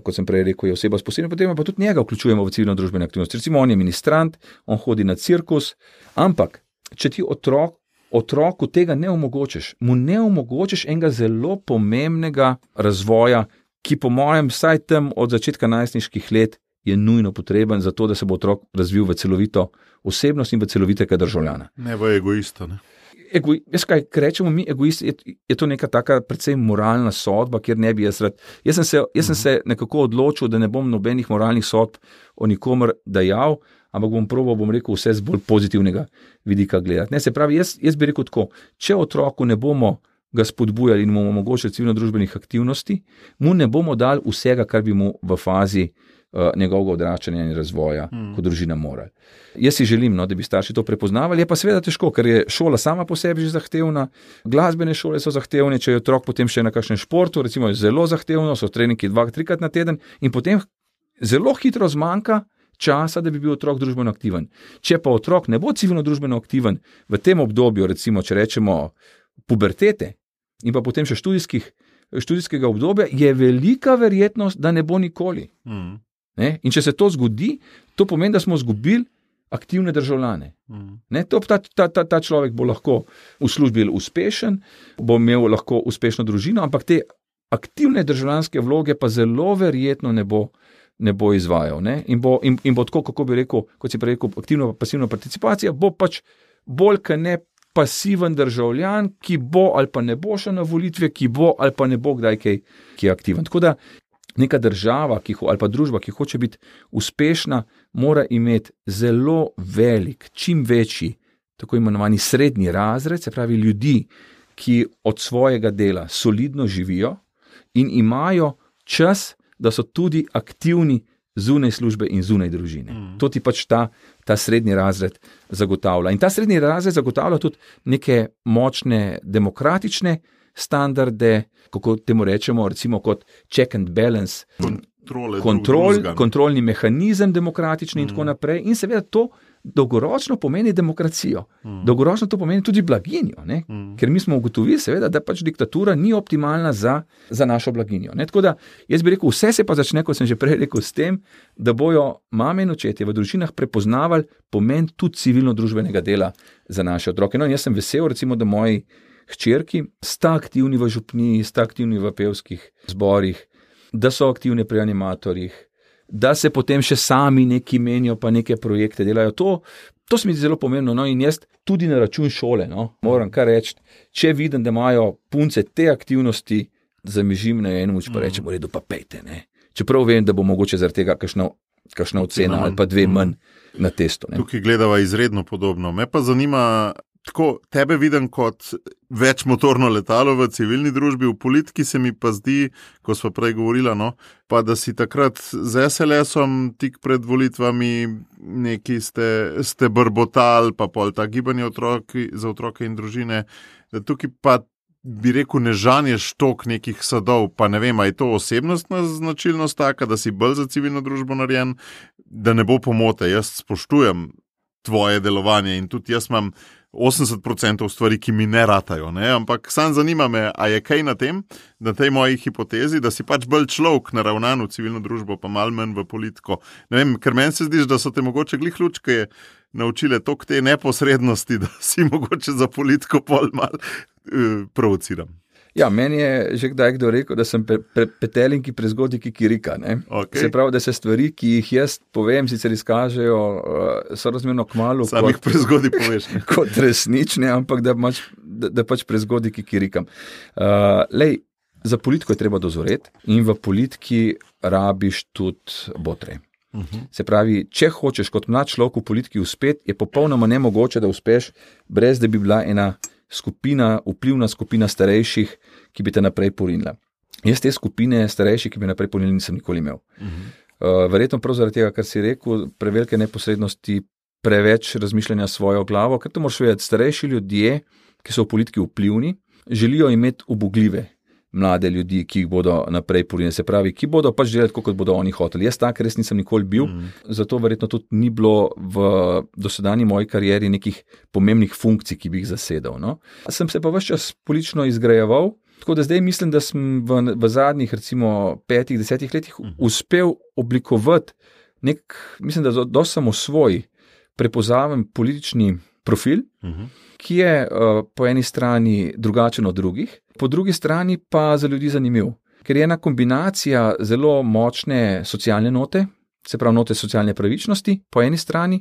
kot sem prej rekel, je oseba s posebnim, potem pa tudi njega vključujemo v civilno družbene aktivnosti. Recimo on je ministrant, on hodi na cirkus, ampak če ti otroku tega ne omogočiš, mu ne omogočiš enega zelo pomembnega razvoja, ki po mojem vsaj tam od začetka najstniških let je nujno potreben za to, da se bo otrok razvil v celovito osebnost in v celovitega državljana. Ne v egoista, ne? Jaz kaj rečemo mi egoisti, je to neka taka predvsem moralna sodba, kjer ne bi jaz rad. Jaz sem se nekako odločil, da ne bom nobenih moralnih sodb o nikomer dajal, ampak bom probal, rekel, vse z bolj pozitivnega vidika gledati. Ne, se pravi, jaz bi rekel tako, če otroku ne bomo ga spodbujali in mu omogočili civilno-družbenih aktivnosti, mu ne bomo dali vsega, kar bi mu v fazi njegovega odraščanja in razvoja kot družina morali. Jaz si želim, da bi starši to prepoznavali, je pa seveda težko, ker je šola sama po sebi že zahtevna, glasbene šole so zahtevne, če je otrok potem še na kakšnem športu, recimo je zelo zahtevno, so treningi 2-3 na teden in potem zelo hitro zmanjka časa, da bi bil otrok družbeno aktiven. Če pa otrok ne bo civilno-družbeno aktiven v tem obdobju, recimo, če rečemo pubertete in pa potem še študijskega obdobja, je velika verjetnost, da ne bo nikoli. Ne? In če se to zgodi, to pomeni, da smo izgubili aktivne državljane. Ne? Ta človek bo lahko v službi uspešen, bo imel lahko uspešno družino, ampak te aktivne državljanske vloge pa zelo verjetno ne bo izvajal. Ne? In bo tako, kako bi rekel, kot si prej rekel, aktivno pa pasivna participacija, bo pač bolj kot ne pasiven državljan, ki bo ali pa ne bo šel na volitve, ki bo ali pa ne bo kdaj kaj je aktiven. Tako da neka država ali pa družba, ki hoče biti uspešna, mora imeti zelo velik, čim večji, tako imenovani srednji razred, se pravi ljudi, ki od svojega dela solidno živijo in imajo čas, da so tudi aktivni zunaj službe in zunaj družine. To ti pač ta srednji razred zagotavlja. In ta srednji razred zagotavlja tudi neke močne demokratične standarde, kako temu rečemo, recimo kot check and balance, kontrolni mehanizem demokratični in tako naprej. In seveda to dolgoročno pomeni demokracijo. Dolgoročno to pomeni tudi blaginjo, ne? Ker mi smo ugotovili seveda, da pač diktatura ni optimalna za našo blaginjo. Ne? Tako da jaz bi rekel, vse se pa začne, kot sem že prej rekel, s tem, da bojo mame in očetje v družinah prepoznavali pomen tudi civilno-družbenega dela za naše otroke. No, in jaz sem vesel, recimo, da moji hčerki sta aktivni v župniji, sta aktivni v pevskih zborih, da so aktivni pri animatorjih, da se potem še sami neki menijo, pa neke projekte delajo. To se mi zdi zelo pomembno. No, in jaz tudi na račun šole, moram kar reči, če vidim, da imajo punce te aktivnosti, zamižim na eno, pa rečem, v redu, pa pejte. Ne. Čeprav vem, da bo mogoče zaradi tega kakšna ocena ali pa 2 manj na testu. Ne. Tukaj gledava izredno podobno. Me pa zanima, tako tebe vidim kot večmotorno letalo v civilni družbi, v politiki se mi pa zdi, ko smo prej govorila, pa da si takrat z SLS-om tik pred volitvami neki ste brbotali, pa pol ta gibanje za otroke in družine, da tukaj pa bi rekel, ne žanješ tok nekih sadov, pa ne vem, a je to osebnostna značilnost taka, da si bolj za civilno družbo narejen, da ne bo pomote. Jaz spoštujem tvoje delovanje in tudi jaz imam 80% stvari, ki mi ne ratajo. Ne? Ampak sam zanima me, a je kaj na tem, na tej moji hipotezi, da si pač bolj človek naravnan v civilno družbo, pa malo manj v politiko. Ne vem, ker meni se zdi, da so te mogoče glih lučke naučile toliko te neposrednosti, da si mogoče za politiko pol mal provociram. Ja, meni je že kdaj kdo rekel, da sem petelin, ki prezgodi kikirika. Okay. Se pravi, da se stvari, ki jih jaz povem, sicer izkažejo sorazmerno kmalu. Sam jih prezgodi poveš. Kot resnične, ampak da pač prezgodi kikirikam. Za politiko je treba dozoreti in v politiki rabiš tudi botre. Se pravi, če hočeš kot mlad človek v politiki uspeti, je popolnoma nemogoče, da uspeš, brez da bi bila ena vplivna skupina starejših, ki bi te naprej porinila. Jaz te skupine starejših, ki bi naprej porinili, nisem nikoli imel. Verjetno prav zaradi tega, kar si rekel, prevelike neposrednosti, preveč razmišljanja svojo glavo, ker to moraš vedeti, starejši ljudje, ki so v politiki vplivni, želijo imeti ubogljive mlade ljudi, ki jih bodo naprej porinili. Se pravi, ki bodo pač delati, kot bodo oni hoteli. Jaz tak res nisem nikoli bil, zato verjetno tudi ni bilo v dosedanji moji karieri nekih pomembnih funkcij, ki bi jih zasedal. No? Sem se pa ves čas politično izgrajeval, tako da zdaj mislim, da sem v zadnjih recimo 5-10 letih uspel oblikovati mislim, da dosti samosvoj, prepoznaven politični profil, ki je po eni strani drugačen od drugih, po drugi strani pa za ljudi zanimiv. Ker je ena kombinacija zelo močne socialne note, se pravi note socialne pravičnosti po eni strani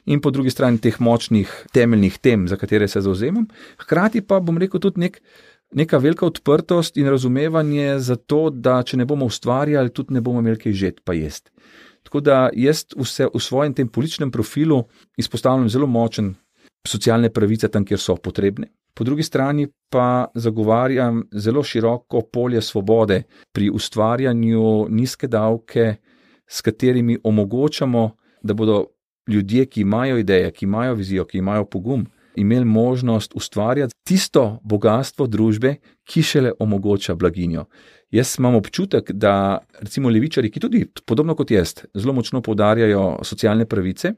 in po drugi strani teh močnih temeljnih tem, za katere se zavzemam. Hkrati pa bom rekel tudi neka velika odprtost in razumevanje za to, da če ne bomo ustvarjali, tudi ne bomo imeli kaj žeti pa jesti. Tako da jaz v svojem tem političnem profilu izpostavljam zelo močen socialne pravice tam, kjer so potrebne. Po drugi strani pa zagovarjam zelo široko polje svobode pri ustvarjanju nizke davke, s katerimi omogočamo, da bodo ljudje, ki imajo ideje, ki imajo vizijo, ki imajo pogum, imeli možnost ustvarjati tisto bogatstvo družbe, ki šele omogoča blaginjo. Jaz imam občutek, da recimo levičarji, ki tudi podobno kot jaz, zelo močno poudarjajo socialne pravice,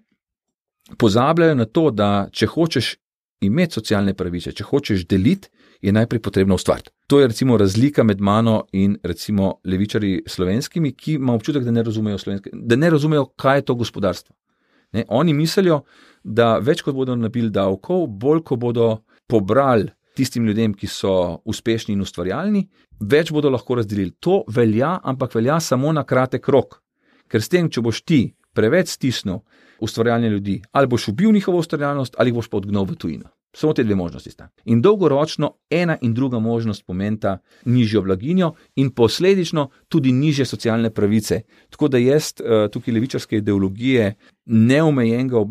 pozabljajo na to, da če hočeš imeti socialne pravice, če hočeš deliti, je najprej potrebno ustvariti. To je recimo razlika med mano in recimo levičarji slovenskimi, ki ima občutek, da ne razumejo, kaj je to gospodarstvo. Ne? Oni mislijo, da več kot bodo nabili davkov, bolj ko bodo pobrali tistim ljudem, ki so uspešni in ustvarjalni, več bodo lahko razdelili. To velja, ampak velja samo na kratek rok. Ker s tem, če boš ti preveč stisnil ustvarjalne ljudi, ali boš ubil njihovo ustvarjalnost, ali boš pa odgnal v tujino. Samo te dve možnosti sta. In dolgoročno ena in druga možnost pomenta nižjo blaginjo in posledično tudi nižje socialne pravice. Tako da jaz tukaj levičarske ideologije neomejenega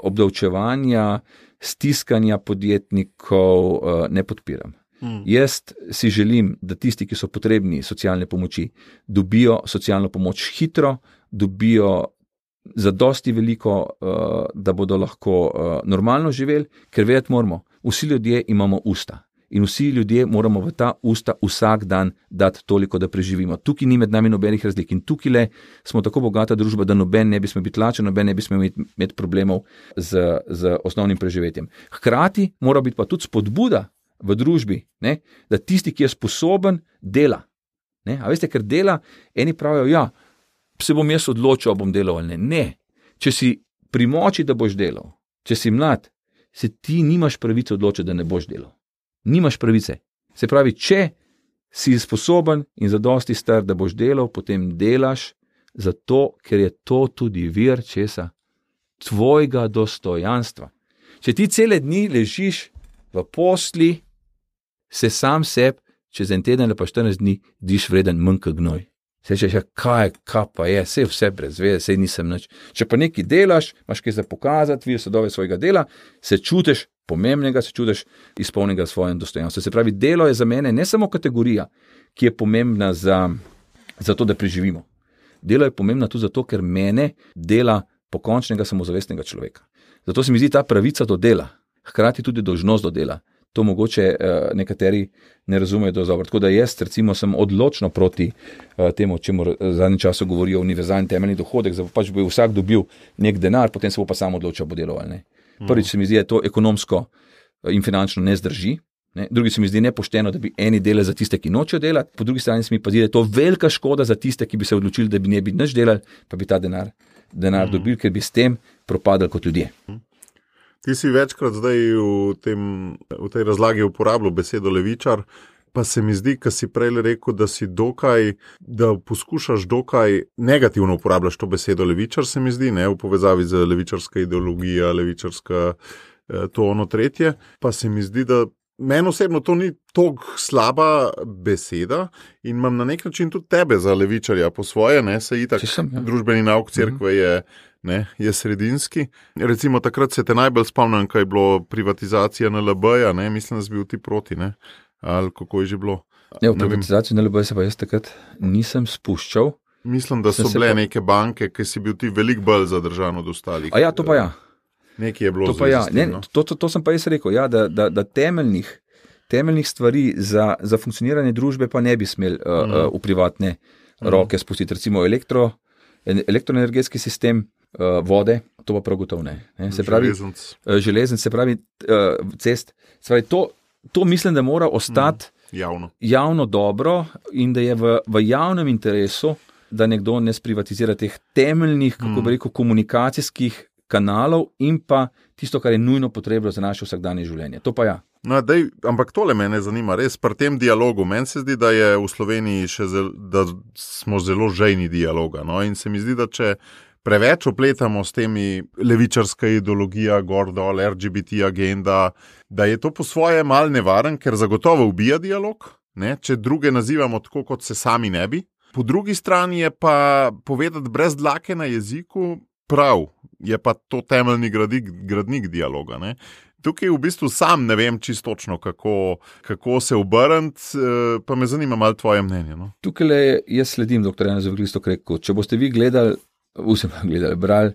obdavčevanja, stiskanja podjetnikov ne podpiram. Jaz si želim, da tisti, ki so potrebni socialne pomoči, dobijo socialno pomoč hitro, dobijo zadosti veliko, da bodo lahko normalno živeli, ker vedeti moramo, vsi ljudje imamo usta in vsi ljudje moramo v ta usta vsak dan dati toliko, da preživimo. Tukaj ni med nami nobenih razlik in tukaj smo tako bogata družba, da noben ne bi smel biti lačen, noben ne bi smel imeti problemov z osnovnim preživetjem. Hkrati mora biti pa tudi spodbuda v družbi, ne, da tisti, ki je sposoben, dela. Ne? A veste, ker dela, eni pravijo, ja, se bom jaz odločil, bom delal ali ne. Ne. Če si pri moči, da boš delal, če si mlad, se ti nimaš pravice odločiti, da ne boš delal. Nimaš pravice. Se pravi, če si sposoben in zadosti star, da boš delal, potem delaš zato, ker je to tudi vir česa? Tvojega dostojanstva. Če ti cele dni ležiš v posli, se sam sebi čez en teden ali pa 14 dni diš vreden manj kot gnoj. Se rečeš, kaj pa je, sej vse brez veze, sej nisem nič. Če pa nekaj delaš, imaš kaj za pokazati, vidiš sadove svojega dela, se čutiš pomembnega, se čutiš izpolnjenega svojem dostojanstvom. Se pravi, delo je za mene ne samo kategorija, ki je pomembna za to, da preživimo. Delo je pomembna tudi zato, ker mene dela pokončnega samozavestnega človeka. Zato se mi zdi ta pravica do dela, hkrati tudi dolžnost do dela. To mogoče nekateri ne razumejo dobro. Tako da jaz recimo sem odločno proti temu, čemu v zadnjem času govorijo univerzalni temeljni dohodek, da pač bo vsak dobil nek denar, potem se bo pa sam odločil, bo delal ali ne. Prvič se mi zdi, da je to ekonomsko in finančno ne zdrži. Ne. Drugi se mi zdi nepošteno, da bi eni delali za tiste, ki nočejo delati, po drugi strani se mi pa zdi, da je to velika škoda za tiste, ki bi se odločili, da bi ne bi nič delali, pa bi ta denar dobili, ker bi s tem propadali kot ljudje. Ti si večkrat zdaj v tej razlagi uporabljal besedo levičar, pa se mi zdi, kar si prej rekel, da poskušaš dokaj negativno uporabljaš to besedo levičar, se mi zdi, ne, v povezavi z levičarska ideologija, levičarska to ono tretje, pa se mi zdi, da meni osebno to ni toliko slaba beseda in imam na nek način tudi tebe za levičarja po svoje, ne, se itak družbeni nauk cerkve je sredinski. Recimo takrat se te najbolj spomnim, kaj je bilo privatizacija NLB-ja, ne, mislim, da si bil ti proti, ne, ali kako je že bilo. V privatizaciju NLB-ja se pa jaz takrat nisem spuščal. Mislim, da so bile neke banke, ki si bil ti veliko bolj zadržan od ostalih. A ja, to pa ja. Nekaj je bilo to, to sem pa jaz rekel, ja, da temeljnih stvari za funkcioniranje družbe pa ne bi smeli v privatne roke spustiti. Recimo elektroenergetski sistem, vode, to pa prav gotovo ne. Se pravi, železnic, se pravi cest. Se pravi, to mislim, da mora ostati javno dobro in da je v javnem interesu, da nekdo ne sprivatizira teh temeljnih, kako bi rekel, komunikacijskih kanalov in pa tisto, kar je nujno potrebno za naše vsakdanje življenje. To pa ja. No, ampak tole mene zanima, res pri tem dialogu. Meni se zdi, da je v Sloveniji da smo zelo žejni dialoga. No? In se mi zdi, da če preveč opletamo s temi levičarska ideologija, gor dol, LGBT agenda, da je to po svoje mal nevaren, ker zagotovo ubija dialog, ne? Če druge nazivamo tako, kot se sami ne bi. Po drugi strani je pa povedati brez dlake na jeziku prav, je pa to temeljni gradnik dialoga. Ne? Tukaj v bistvu sam ne vem čistočno, kako se obrniti, pa me zanima malo tvoje mnenje. No? Tukaj jaz sledim dr. Janeza Evangelista Kreka. Če boste vi brali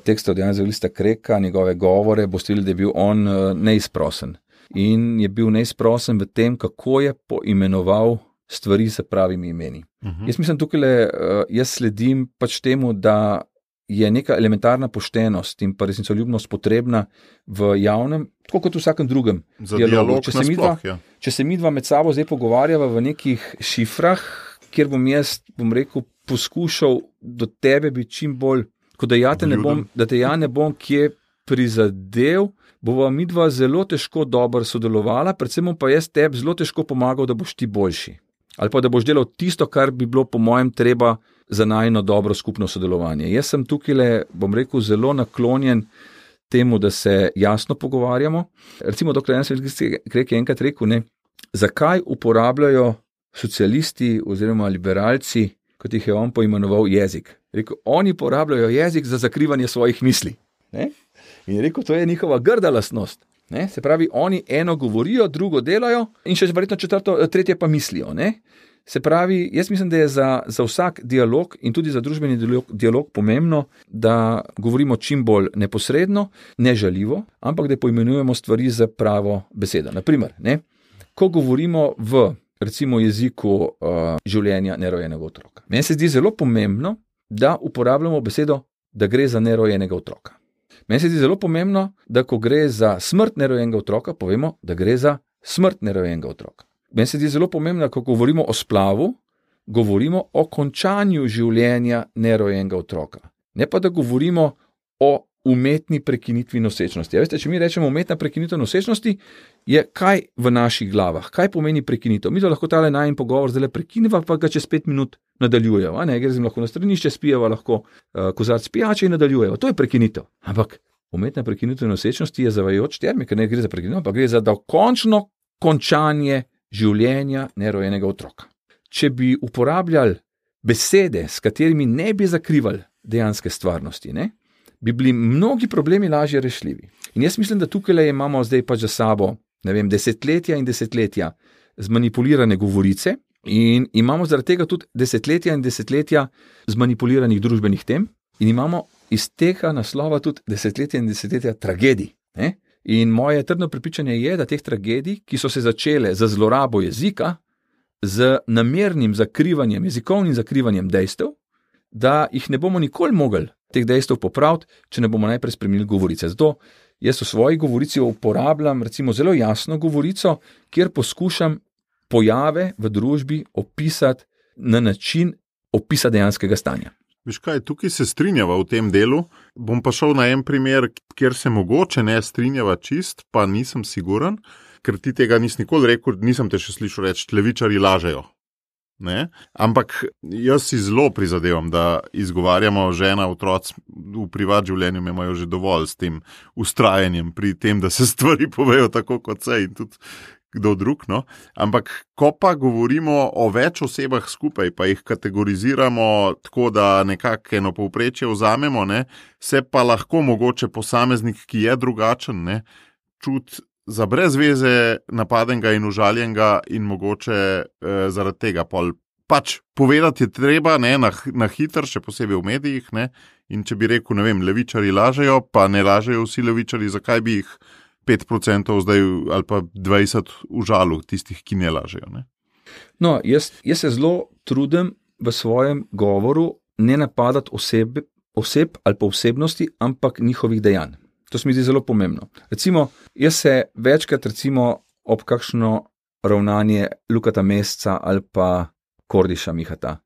tekst od Janeza Evangelista Kreka, njegove govore, boste videli, da je bil on neizprosen. In je bil neizprosen v tem, kako je poimenoval stvari s pravimi imeni. Jaz mislim, jaz sledim pač temu, da je neka elementarna poštenost in pa resnicoljubnost potrebna v javnem, tako kot v vsakem drugem dialogu. Če se midva med sabo zdaj pogovarjava v nekih šifrah, kjer bom rekel, poskušal do tebe biti čim bolj, kot da te ja ne bom kje prizadel, bova midva zelo težko dobro sodelovala, predvsem pa jaz tebi zelo težko pomagal, da boš ti boljši. Ali pa da boš delal tisto, kar bi bilo po mojem treba za najno dobro skupno sodelovanje. Jaz sem tukaj, bom rekel, zelo naklonjen temu, da se jasno pogovarjamo. Recimo, dr. Janez Evangelista Krek je enkrat rekel, zakaj uporabljajo socialisti oziroma liberalci, kot jih je on poimenoval, jezik. Rekel, oni uporabljajo jezik za zakrivanje svojih misli. Ne? In rekel, to je njihova grda lastnost. Ne? Se pravi, oni eno govorijo, drugo delajo in še verjetno tretje pa mislijo. Ne? Se pravi, jaz mislim, da je za vsak dialog in tudi za družbeni dialog pomembno, da govorimo čim bolj neposredno, nežaljivo, ampak da poimenujemo stvari za pravo besedo. Naprimer, ko govorimo v recimo jeziku življenja nerojenega otroka. Meni se zdi zelo pomembno, da uporabljamo besedo, da gre za nerojenega otroka. Meni se zdi zelo pomembno, da ko gre za smrt nerojenega otroka, povemo, da gre za smrt nerojenega otroka. Meni se zdi zelo pomembno, ko govorimo o splavu, govorimo o končanju življenja nerojenega otroka. Ne pa, da govorimo o umetni prekinitvi nosečnosti. Ja, veste, če mi rečemo umetna prekinitev nosečnosti, je kaj v naših glavah? Kaj pomeni prekinitev? Mi to lahko tale najin pogovor zdaj prekiniva, pa ga čez 5 minut nadaljujeva. Gre lahko na stranišče, spijeva lahko kozarc pijače in nadaljujeva. To je prekinitev. Ampak umetna prekinitev nosečnosti je zavajajoč termin, ker ne gre za prekinitev, ampak gre za dokončno končanje življenja nerojenega otroka. Če bi uporabljali besede, s katerimi ne bi zakrivali dejanske stvarnosti, bi bili mnogi problemi lažje rešljivi. In jaz mislim, da tukaj imamo zdaj pač za sabo, desetletja in desetletja zmanipulirane govorice in imamo zaradi tega tudi desetletja in desetletja zmanipuliranih družbenih tem in imamo iz tega naslova tudi desetletja in desetletja tragedij. In moje trdno prepričanje je, da teh tragedij, ki so se začele z zlorabo jezika, z namernim zakrivanjem, jezikovnim zakrivanjem dejstev, da jih ne bomo nikoli mogli teh dejstev popraviti, če ne bomo najprej spremenili govorice. Zato jaz v svoji govorici uporabljam recimo zelo jasno govorico, kjer poskušam pojave v družbi opisati na način opisa dejanskega stanja. Veš kaj, tukaj se strinjava v tem delu. Bom pa šel na en primer, kjer se mogoče ne strinjava čist, pa nisem siguren, ker ti tega nisi nikoli rekel, nisem te še slišal reči, levičarji lažejo. Ne? Ampak jaz si zelo prizadevam, da izgovarjamo žena, otroci v privat življenju imajo že dovolj s tem ustrajanjem pri tem, da se stvari povejo tako kot se in tudi kdo drug. No? Ampak ko pa govorimo o več osebah skupaj, pa jih kategoriziramo tako, da nekako eno povprečje vzamemo, ne? Se pa lahko mogoče posameznik, ki je drugačen, ne? Čuti za brez veze napadenega in užaljenega in mogoče zaradi tega pač povedati je treba, ne, na hitro, še posebej v medijih, ne, in če bi rekel, ne vem, levičarji lažejo, pa ne lažejo vsi levičarji, zakaj bi jih 5% zdaj ali pa 20% užalil tistih, ki ne lažejo, ne? No, jaz se zelo trudim v svojem govoru ne napadati oseb ali pa osebnosti, ampak njihovih dejanj. To se mi zdi zelo pomembno. Recimo, jaz se večkrat ob kakšno ravnanje Lukata Mesca ali pa Kordiša Mihata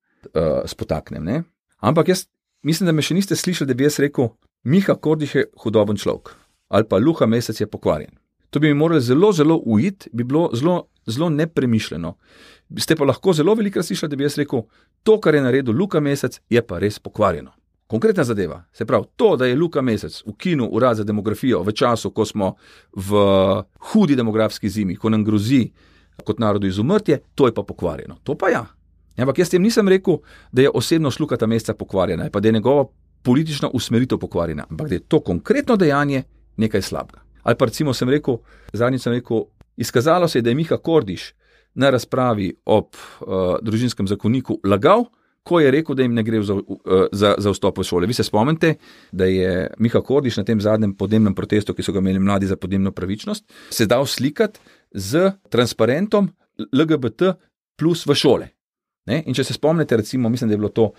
spotaknem. Ne? Ampak jaz mislim, da me še niste slišali, da bi jaz rekel, Miha Kordiš je hudoben človek ali pa Luka Mesec je pokvarjen. To bi mi morali zelo, zelo ujiti, bi bilo zelo, zelo nepremišljeno. Ste pa lahko zelo velikrat slišali, da bi jaz rekel, to, kar je naredil Luka Mesec, je pa res pokvarjeno. Konkretna zadeva, se pravi, to, da je Luka Mesec ukinil urad za demografijo v času, ko smo v hudi demografski zimi, ko nam grozi kot narodu izumrtje, to je pa pokvarjeno. To pa ja. Ampak jaz tem nisem rekel, da je osebnost Lukata Mesca pokvarjena, pa da je njegova politična usmeritev pokvarjena, ampak da je to konkretno dejanje nekaj slabega. Ali pa recimo zadnjič sem rekel, izkazalo se je, da je Miha Kordiš na razpravi ob družinskem zakoniku lagal, ko je rekel, da jim ne gre za vstop v šole. Vi se spomnite, da je Miha Kordiš na tem zadnjem podnebnem protestu, ki so ga imeli mladi za podnebno pravičnost, se dal slikati z transparentom LGBT plus v šole. Ne? In če se spomnite, recimo, mislim, da je bilo to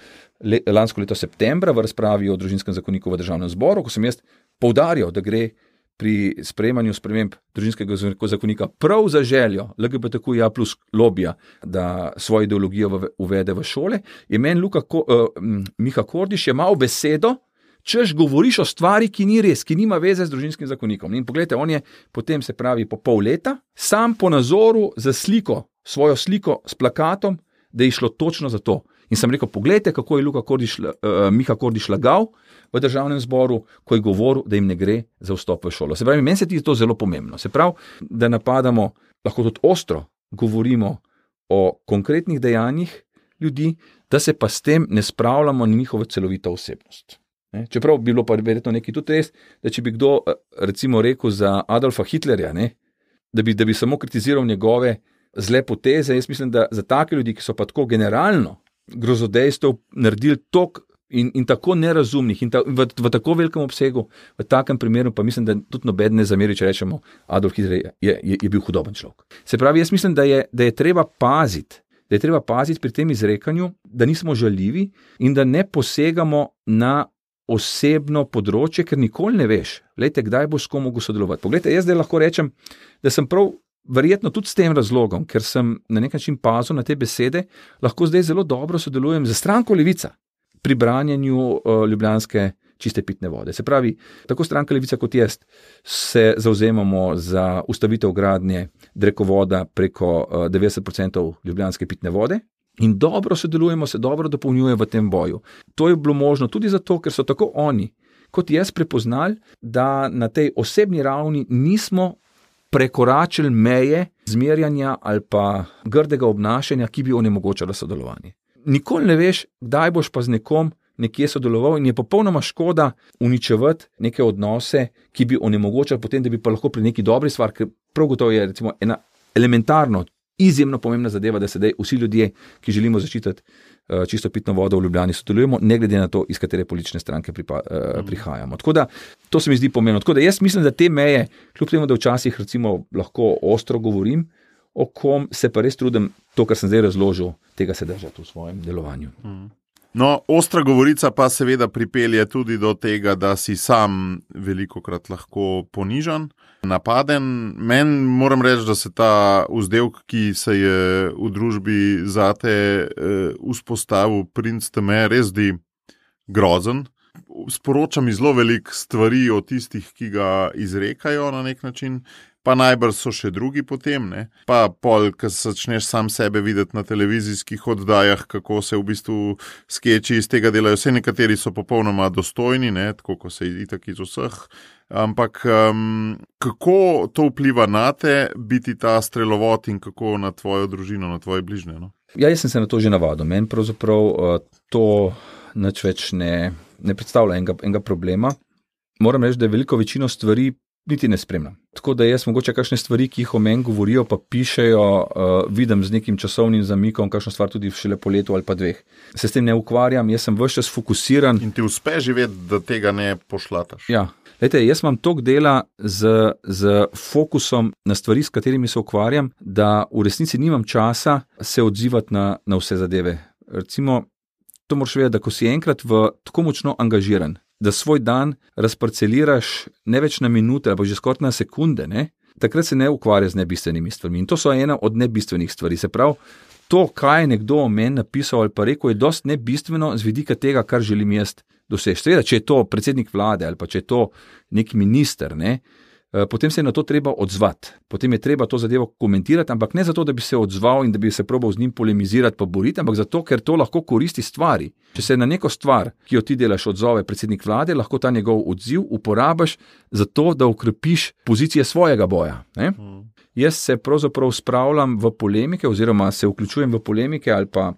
lansko leto septembra v razpravi o družinskem zakoniku v državnem zboru, ko sem jaz poudarjal, da gre pri sprejemanju sprememb družinskega zakonika prav za željo LGBTQIA plus lobija, da svojo ideologijo uvede v šole, je meni Miha Kordiš jemal besedo, češ govoriš o stvari, ki ni res, ki nima veze z družinskim zakonikom. In pogledajte, on je potem, se pravi, po pol leta, sam po nazoru za svojo sliko s plakatom, da je šlo točno za to. In sem rekel, pogledajte, kako je Miha Kordiš lagal v državnem zboru, ko je govoril, da jim ne gre za vstop v šolo. Se pravi, meni se ti to zelo pomembno. Se pravi, da napadamo, lahko tudi ostro govorimo o konkretnih dejanjih ljudi, da se pa s tem ne spravljamo na njihovo celovito osebnost. Ne? Čeprav bi bilo pa verjetno nekaj tudi res, da če bi kdo recimo rekel za Adolfa Hitlerja, ne? Da bi samo kritiziral njegove zle poteze, jaz mislim, da za take ljudi, ki so pa tako generalno grozodejstev naredili tok in tako nerazumnih in v tako velikem obsegu, v takem primeru pa mislim, da tudi noben ne zameri, če rečemo, Adolf Hitler je bil hudoben človek. Se pravi, jaz mislim, da je treba paziti pri tem izrekanju, da nismo žaljivi in da ne posegamo na osebno področje, ker nikoli ne veš, glejte, kdaj boš s kom mogel sodelovati. Poglejte, jaz zdaj lahko rečem, da sem prav verjetno tudi s tem razlogom, ker sem na nek način pazil na te besede, lahko zdaj zelo dobro sodelujem z stranko Levica pri branjenju ljubljanske čiste pitne vode. Se pravi, tako stranka Levica kot jaz se zavzemamo za ustavitev gradnje drekovoda preko 90% ljubljanske pitne vode in dobro sodelujemo, se dobro dopolnjuje v tem boju. To je bilo možno tudi zato, ker so tako oni kot jaz prepoznali, da na tej osebni ravni nismo prekoračili meje zmerjanja ali pa grdega obnašanja, ki bi onemogočalo sodelovanje. Nikoli ne veš, kdaj boš pa z nekom nekje sodeloval in je popolnoma škoda uničevati neke odnose, ki bi onemogočali potem, da bi pa lahko pri neki dobri stvari, ker prav gotovo je recimo ena elementarno, izjemno pomembna zadeva, da sedaj vsi ljudje, ki želimo zaščititi čisto pitno vodo v Ljubljani, sodelujemo, ne glede na to, iz katere politične stranke prihajamo. Tako da, to se mi zdi pomembno. Tako da jaz mislim, da te meje, kljub temu, da včasih recimo lahko ostro govorim, o kom se pa res trudim, to, kar sem zdaj razložil, tega se držati v svojem delovanju. No, ostra govorica pa seveda pripelje tudi do tega, da si sam velikokrat lahko ponižan, napaden. Meni moram reči, da se ta vzdevek, ki se je v družbi zate vzpostavil, princ teme, res zdi grozen. Sporoča mi zelo veliko stvari o tistih, ki ga izrekajo na nek način, pa najbrž so še drugi potem, ne? Pa pol, ko začneš sam sebe videti na televizijskih oddajah, kako se v bistvu skeči iz tega delajo. Vse nekateri so popolnoma dostojni, ne? Tako kot se itak iz vseh. Ampak kako to vpliva na te, biti ta strelovod in kako na tvojo družino, na tvoje bližnje? No? Ja, jaz sem se na to že navadil. Meni pravzaprav to nič več ne predstavlja enega problema. Moram reči, da veliko večino stvari niti ne spremljam. Tako da jaz mogoče kakšne stvari, ki jih o meni govorijo, pa pišejo, vidim z nekim časovnim zamikom, kakšno stvar tudi šele po letu ali pa 2. Se s tem ne ukvarjam, jaz sem ves čas fokusiran. In ti uspe živeti, da tega ne pošlataš. Ja. Lejte, jaz imam toliko dela z fokusom na stvari, s katerimi se ukvarjam, da v resnici nimam časa se odzivati na vse zadeve. Recimo, to moraš vedeti, da ko si enkrat tako močno angažiran, da svoj dan razparceliraš ne več na minute, ali pa že skoraj na sekunde, ne? Takrat se ne ukvarja z nebistvenimi stvarmi. In to so ena od nebistvenih stvari. Se pravi, to, kaj je nekdo o meni napisal ali pa rekel, je dosti nebistveno z vidika tega, kar želim jaz doseči. Seveda, če je to predsednik vlade ali pa če je to nek minister, ne? Potem se je na to treba odzvati. Potem je treba to zadevo komentirati, ampak ne zato, da bi se odzval in da bi se probal z njim polemizirati pa boriti, ampak zato, ker to lahko koristi stvari. Če se na neko stvar, ki jo ti delaš, odzove predsednik vlade, lahko ta njegov odziv uporabiš za to, da okrepiš pozicije svojega boja. Ne? Jaz se pravzaprav spravljam v polemike oziroma se vključujem v polemike ali pa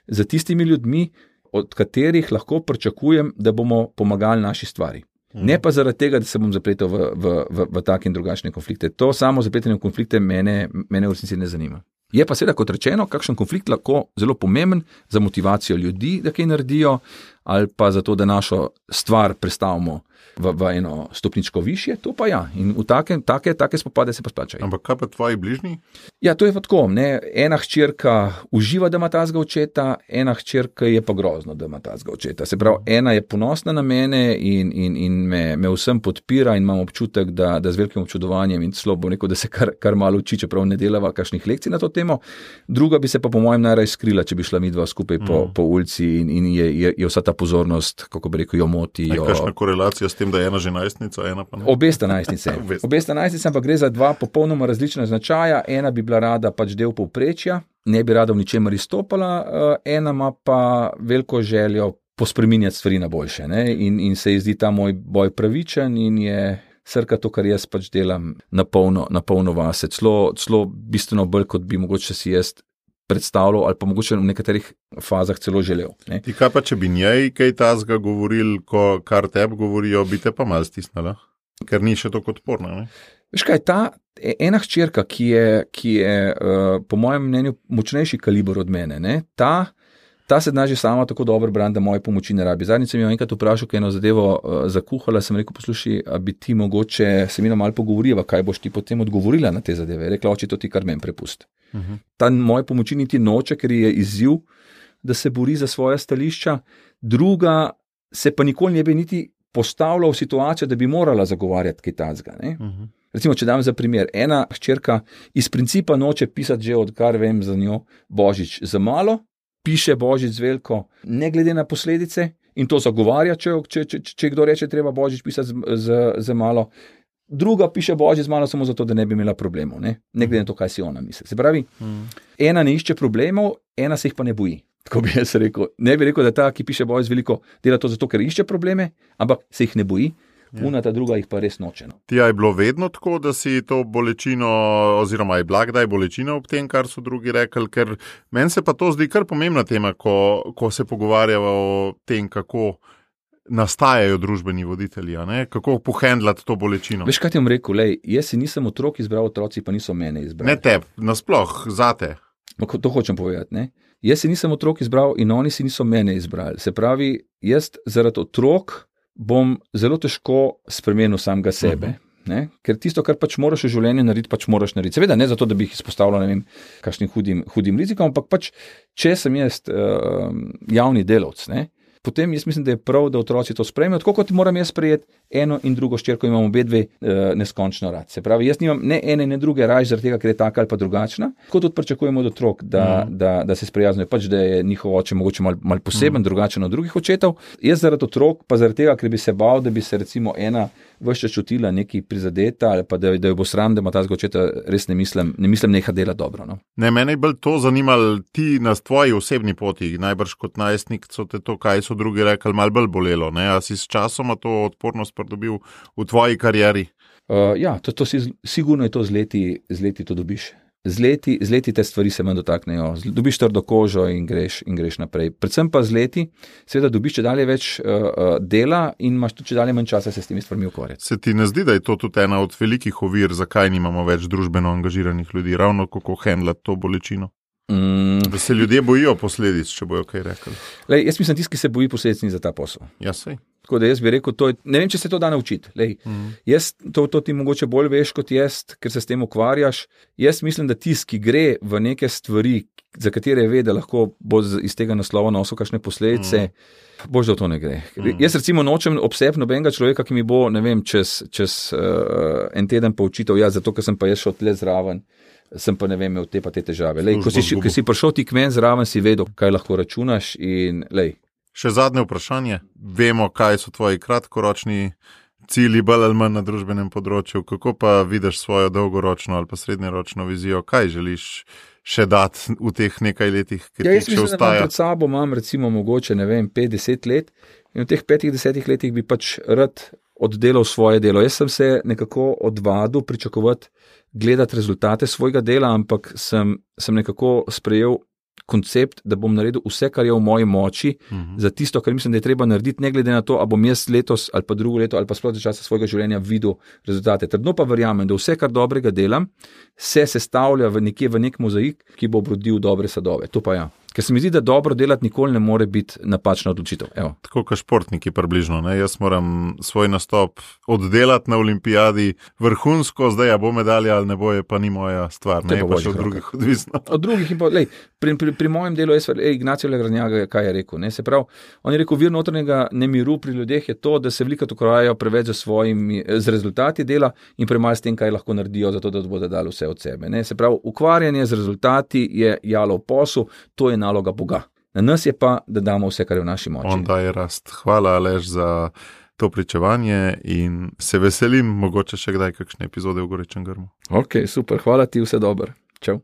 za tistimi ljudmi, od katerih lahko pričakujem, da bomo pomagali naši stvari. Ne pa zaradi tega, da se bom zapletel v take in drugačne konflikte. To samo zapletanje v konflikte mene v resnici ne zanima. Je pa seveda, kot rečeno, kakšen konflikt lahko zelo pomemben za motivacijo ljudi, da kaj naredijo, ali pa za to, da našo stvar prestavimo v eno stopničko višje, to pa ja. In v take spopade se pa splačajo. Ampak kaj pa tvoji bližnji? Ja, to je pa tako, ne. Ena hčerka uživa, da ima tazga očeta, ena hčerka je pa grozno, da ima tazga očeta. Se pravi, ena je ponosna na mene in me vsem podpira in imam občutek, da z velikim občudovanjem in celo bom rekel, da se kar malo uči, čeprav ne delava kakšnih lekcij na to temo. Druga bi se pa po mojem najraje skrila, če bi šla midva skupaj po ulici in je vsa ta pozornost, kako bi rekel, jo moti. Kakšna korelacija s tem, da je ena že najstnica, ena pa ne? Obe sta najstnice. Obe sta najstnice, ampak gre za dva popolnoma različna značaja. Ena bi bila rada pač del povprečja, ne bi rada v ničemer izstopala, ena ima pa veliko željo pospreminjati stvari na boljše. Ne? In se ji zdi ta moj boj pravičen in je srka to, kar jaz pač delam na polno vase. Celo bistveno bolj, kot bi mogoče si jaz predstavljal ali pa mogoče v nekaterih fazah celo želel. Ne? Ti kaj pa, če bi njej kaj tazga govoril, kar tebi govorijo, bi te pa malo stisnala? Ker ni še tako odporna, ne? Veš kaj, ta ena hčerka, ki je po mojem mnenju močnejši kaliber od mene, ne? Ta se zna že sama tako dobro brani, da moje pomoči ne rabi. Zadnjič sem jo enkrat vprašal, kaj eno zadevo zakuhala, sem rekel, poslušaj, a bi ti mogoče se mi malo pogovoriva, kaj boš ti potem odgovorila na te zadeve. Rekla, oči, to ti kar meni prepust. Ta moje pomoči niti noče, ker je izziv, da se bori za svoja stališča. Druga se pa nikoli ne bi niti postavila v situacijo, da bi morala zagovarjati kaj tazga. Recimo, če dam za primer, ena hčerka iz principa noče pisati že odkar vem za njo Božič za malo, piše Božič z veliko, ne glede na posledice in to zagovarja, če kdo reče, treba Božič pisati z malo. Druga piše Božič z malo samo zato, da ne bi imela problemov, ne glede na to, kaj si ona misli. Se pravi, ena ne išče problemov, ena se jih pa ne boji. Tako bi jaz rekel. Ne bi rekel, da ta, ki piše Božič z veliko, dela to zato, ker išče probleme, ampak se jih ne boji. Una ta druga jih pa res noče. Ti je bilo vedno tako, da si to bolečino, oziroma je bila kdaj bolečina ob tem, kar so drugi rekli, ker meni se pa to zdi kar pomembna tema, ko se pogovarjava o tem, kako nastajajo družbeni voditelji, ne? Kako pohendlati to bolečino. Veš, kaj ti bom rekel, jaz si nisem otrok izbral, otroci pa niso mene izbrali. Ne teb, nasploh, zate. To hočem povedati, ne? Jaz si nisem otrok izbral in oni si niso mene izbrali. Se pravi, jaz zaradi otrok bom zelo težko spremenil samega sebe. Ne? Ker tisto, kar pač moraš v življenju narediti, pač moraš narediti. Seveda ne zato, da bi jih izpostavljal, ne vem, kakšnim hudim rizikom, ampak pač, če sem jaz javni delavec, ne? Potem jaz mislim, da je prav, da otroci to sprejmejo, tako kot moram jaz sprejeti eno in drugo hčerko, imam obe dve neskončno rad. Se pravi, jaz nimam ne ene, ne druge raje zaradi tega, ker je taka ali pa drugačna. Tako tudi pričakujemo od otrok, da se sprijaznijo, pač da je njihov oče mogoče malo poseben, drugačen od drugih očetov. Jaz zaradi otrok, pa zaradi tega, ker bi se bal, da bi se recimo ena vse čas čutila nekaj prizadeta ali pa da jo bo sram, da ima ta očeta, res ne mislim neha dela dobro. No? Ne, mene je bolj to zanimalo, ti na tvoji osebni poti, najbrž kot najstnik, so te to, kaj so drugi rekli, malo bolj bolelo. Ne? A si s časoma to odpornost pridobil v tvoji karieri? Ja, to sigurno je to z leti to dobiš. Z leti te stvari se manj dotaknejo, dobiš trdo kožo in greš naprej. Predvsem pa z leti, seveda dobiš čedalje več dela in imaš tudi čedalje manj časa se s temi stvarmi ukvarjati. Se ti ne zdi, da je to tudi ena od velikih ovir, zakaj nimamo več družbeno angažiranih ljudi, ravno kako handlati to bolečino? Da se ljudje bojijo posledic, če bojo kaj rekli. Lej, jaz mislim, tisti, ki se boji posledic, ni za ta posel. Ja, sej. Tako da jaz bi rekel, ne vem, če se to da naučiti. Jaz, to ti mogoče bolj veš kot jaz, ker se s tem ukvarjaš. Jaz mislim, da tisti, ki gre v neke stvari, za katere ve, da lahko bo iz tega naslova nosil kakšne posledice, bož da v to ne gre. Jaz recimo nočem obseb nobenega človeka, ki mi bo, ne vem, čez en teden poučitev, zato ker sem pa jaz šel tle zraven, sem pa ne vem, imel te težave. Lej, ko si prišel ti k meni zraven, si vedel, kaj lahko računaš in lej. Še zadnje vprašanje. Vemo, kaj so tvoji kratkoročni cilji, bolj ali manj na družbenem področju. Kako pa vidiš svojo dolgoročno ali pa srednjeročno vizijo? Kaj želiš še dati v teh nekaj letih, ki ti še ostaja? Jaz mislim, da pred sabo imam recimo mogoče, ne vem, 5-10 let in v teh 5-10 letih bi pač rad oddelal svoje delo. Jaz sem se nekako odvadil pričakovati, gledati rezultate svojega dela, ampak sem nekako sprejel koncept, da bom naredil vse, kar je v moji moči, za tisto, kar mislim, da je treba narediti, ne glede na to, ali bom jaz letos ali pa drugo leto ali pa sploh za časa svojega življenja videl rezultate. Trdno pa verjamem, da vse, kar dobrega delam, se sestavlja v nek mozaik, ki bo obrodil dobre sadove. To pa ja. Ker se mi zdi, da dobro delati nikoli ne more biti napačna odločitev. Evo. Tako kot športniki približno. Ne? Jaz moram svoj nastop oddelati na olimpijadi vrhunsko, zdaj bo medalja ali ne bo, je pa ni moja stvar. Ne pa še od drugih odvisno. Od drugih in pa, lej, pri mojem delu je Ignacio Legrandjaga, kaj je rekel. Ne? Se pravi, on je rekel, vir notranjega nemiru pri ljudeh je to, da se veliko ukvarjajo preveč z rezultati dela in premalo s tem, kaj lahko naredijo, zato da bodo dali vse od sebe. Ne? Se pravi, ukvarjanje z rezultati je jalov posel, to je naloga Boga. Na nas je pa, da damo vse, kar je v naši moči. On daje rast. Hvala, Aleš, za to pričevanje in se veselim, mogoče še kdaj kakšne epizode v Gorečem grmu. Ok, super. Hvala ti, vse dobro. Čau.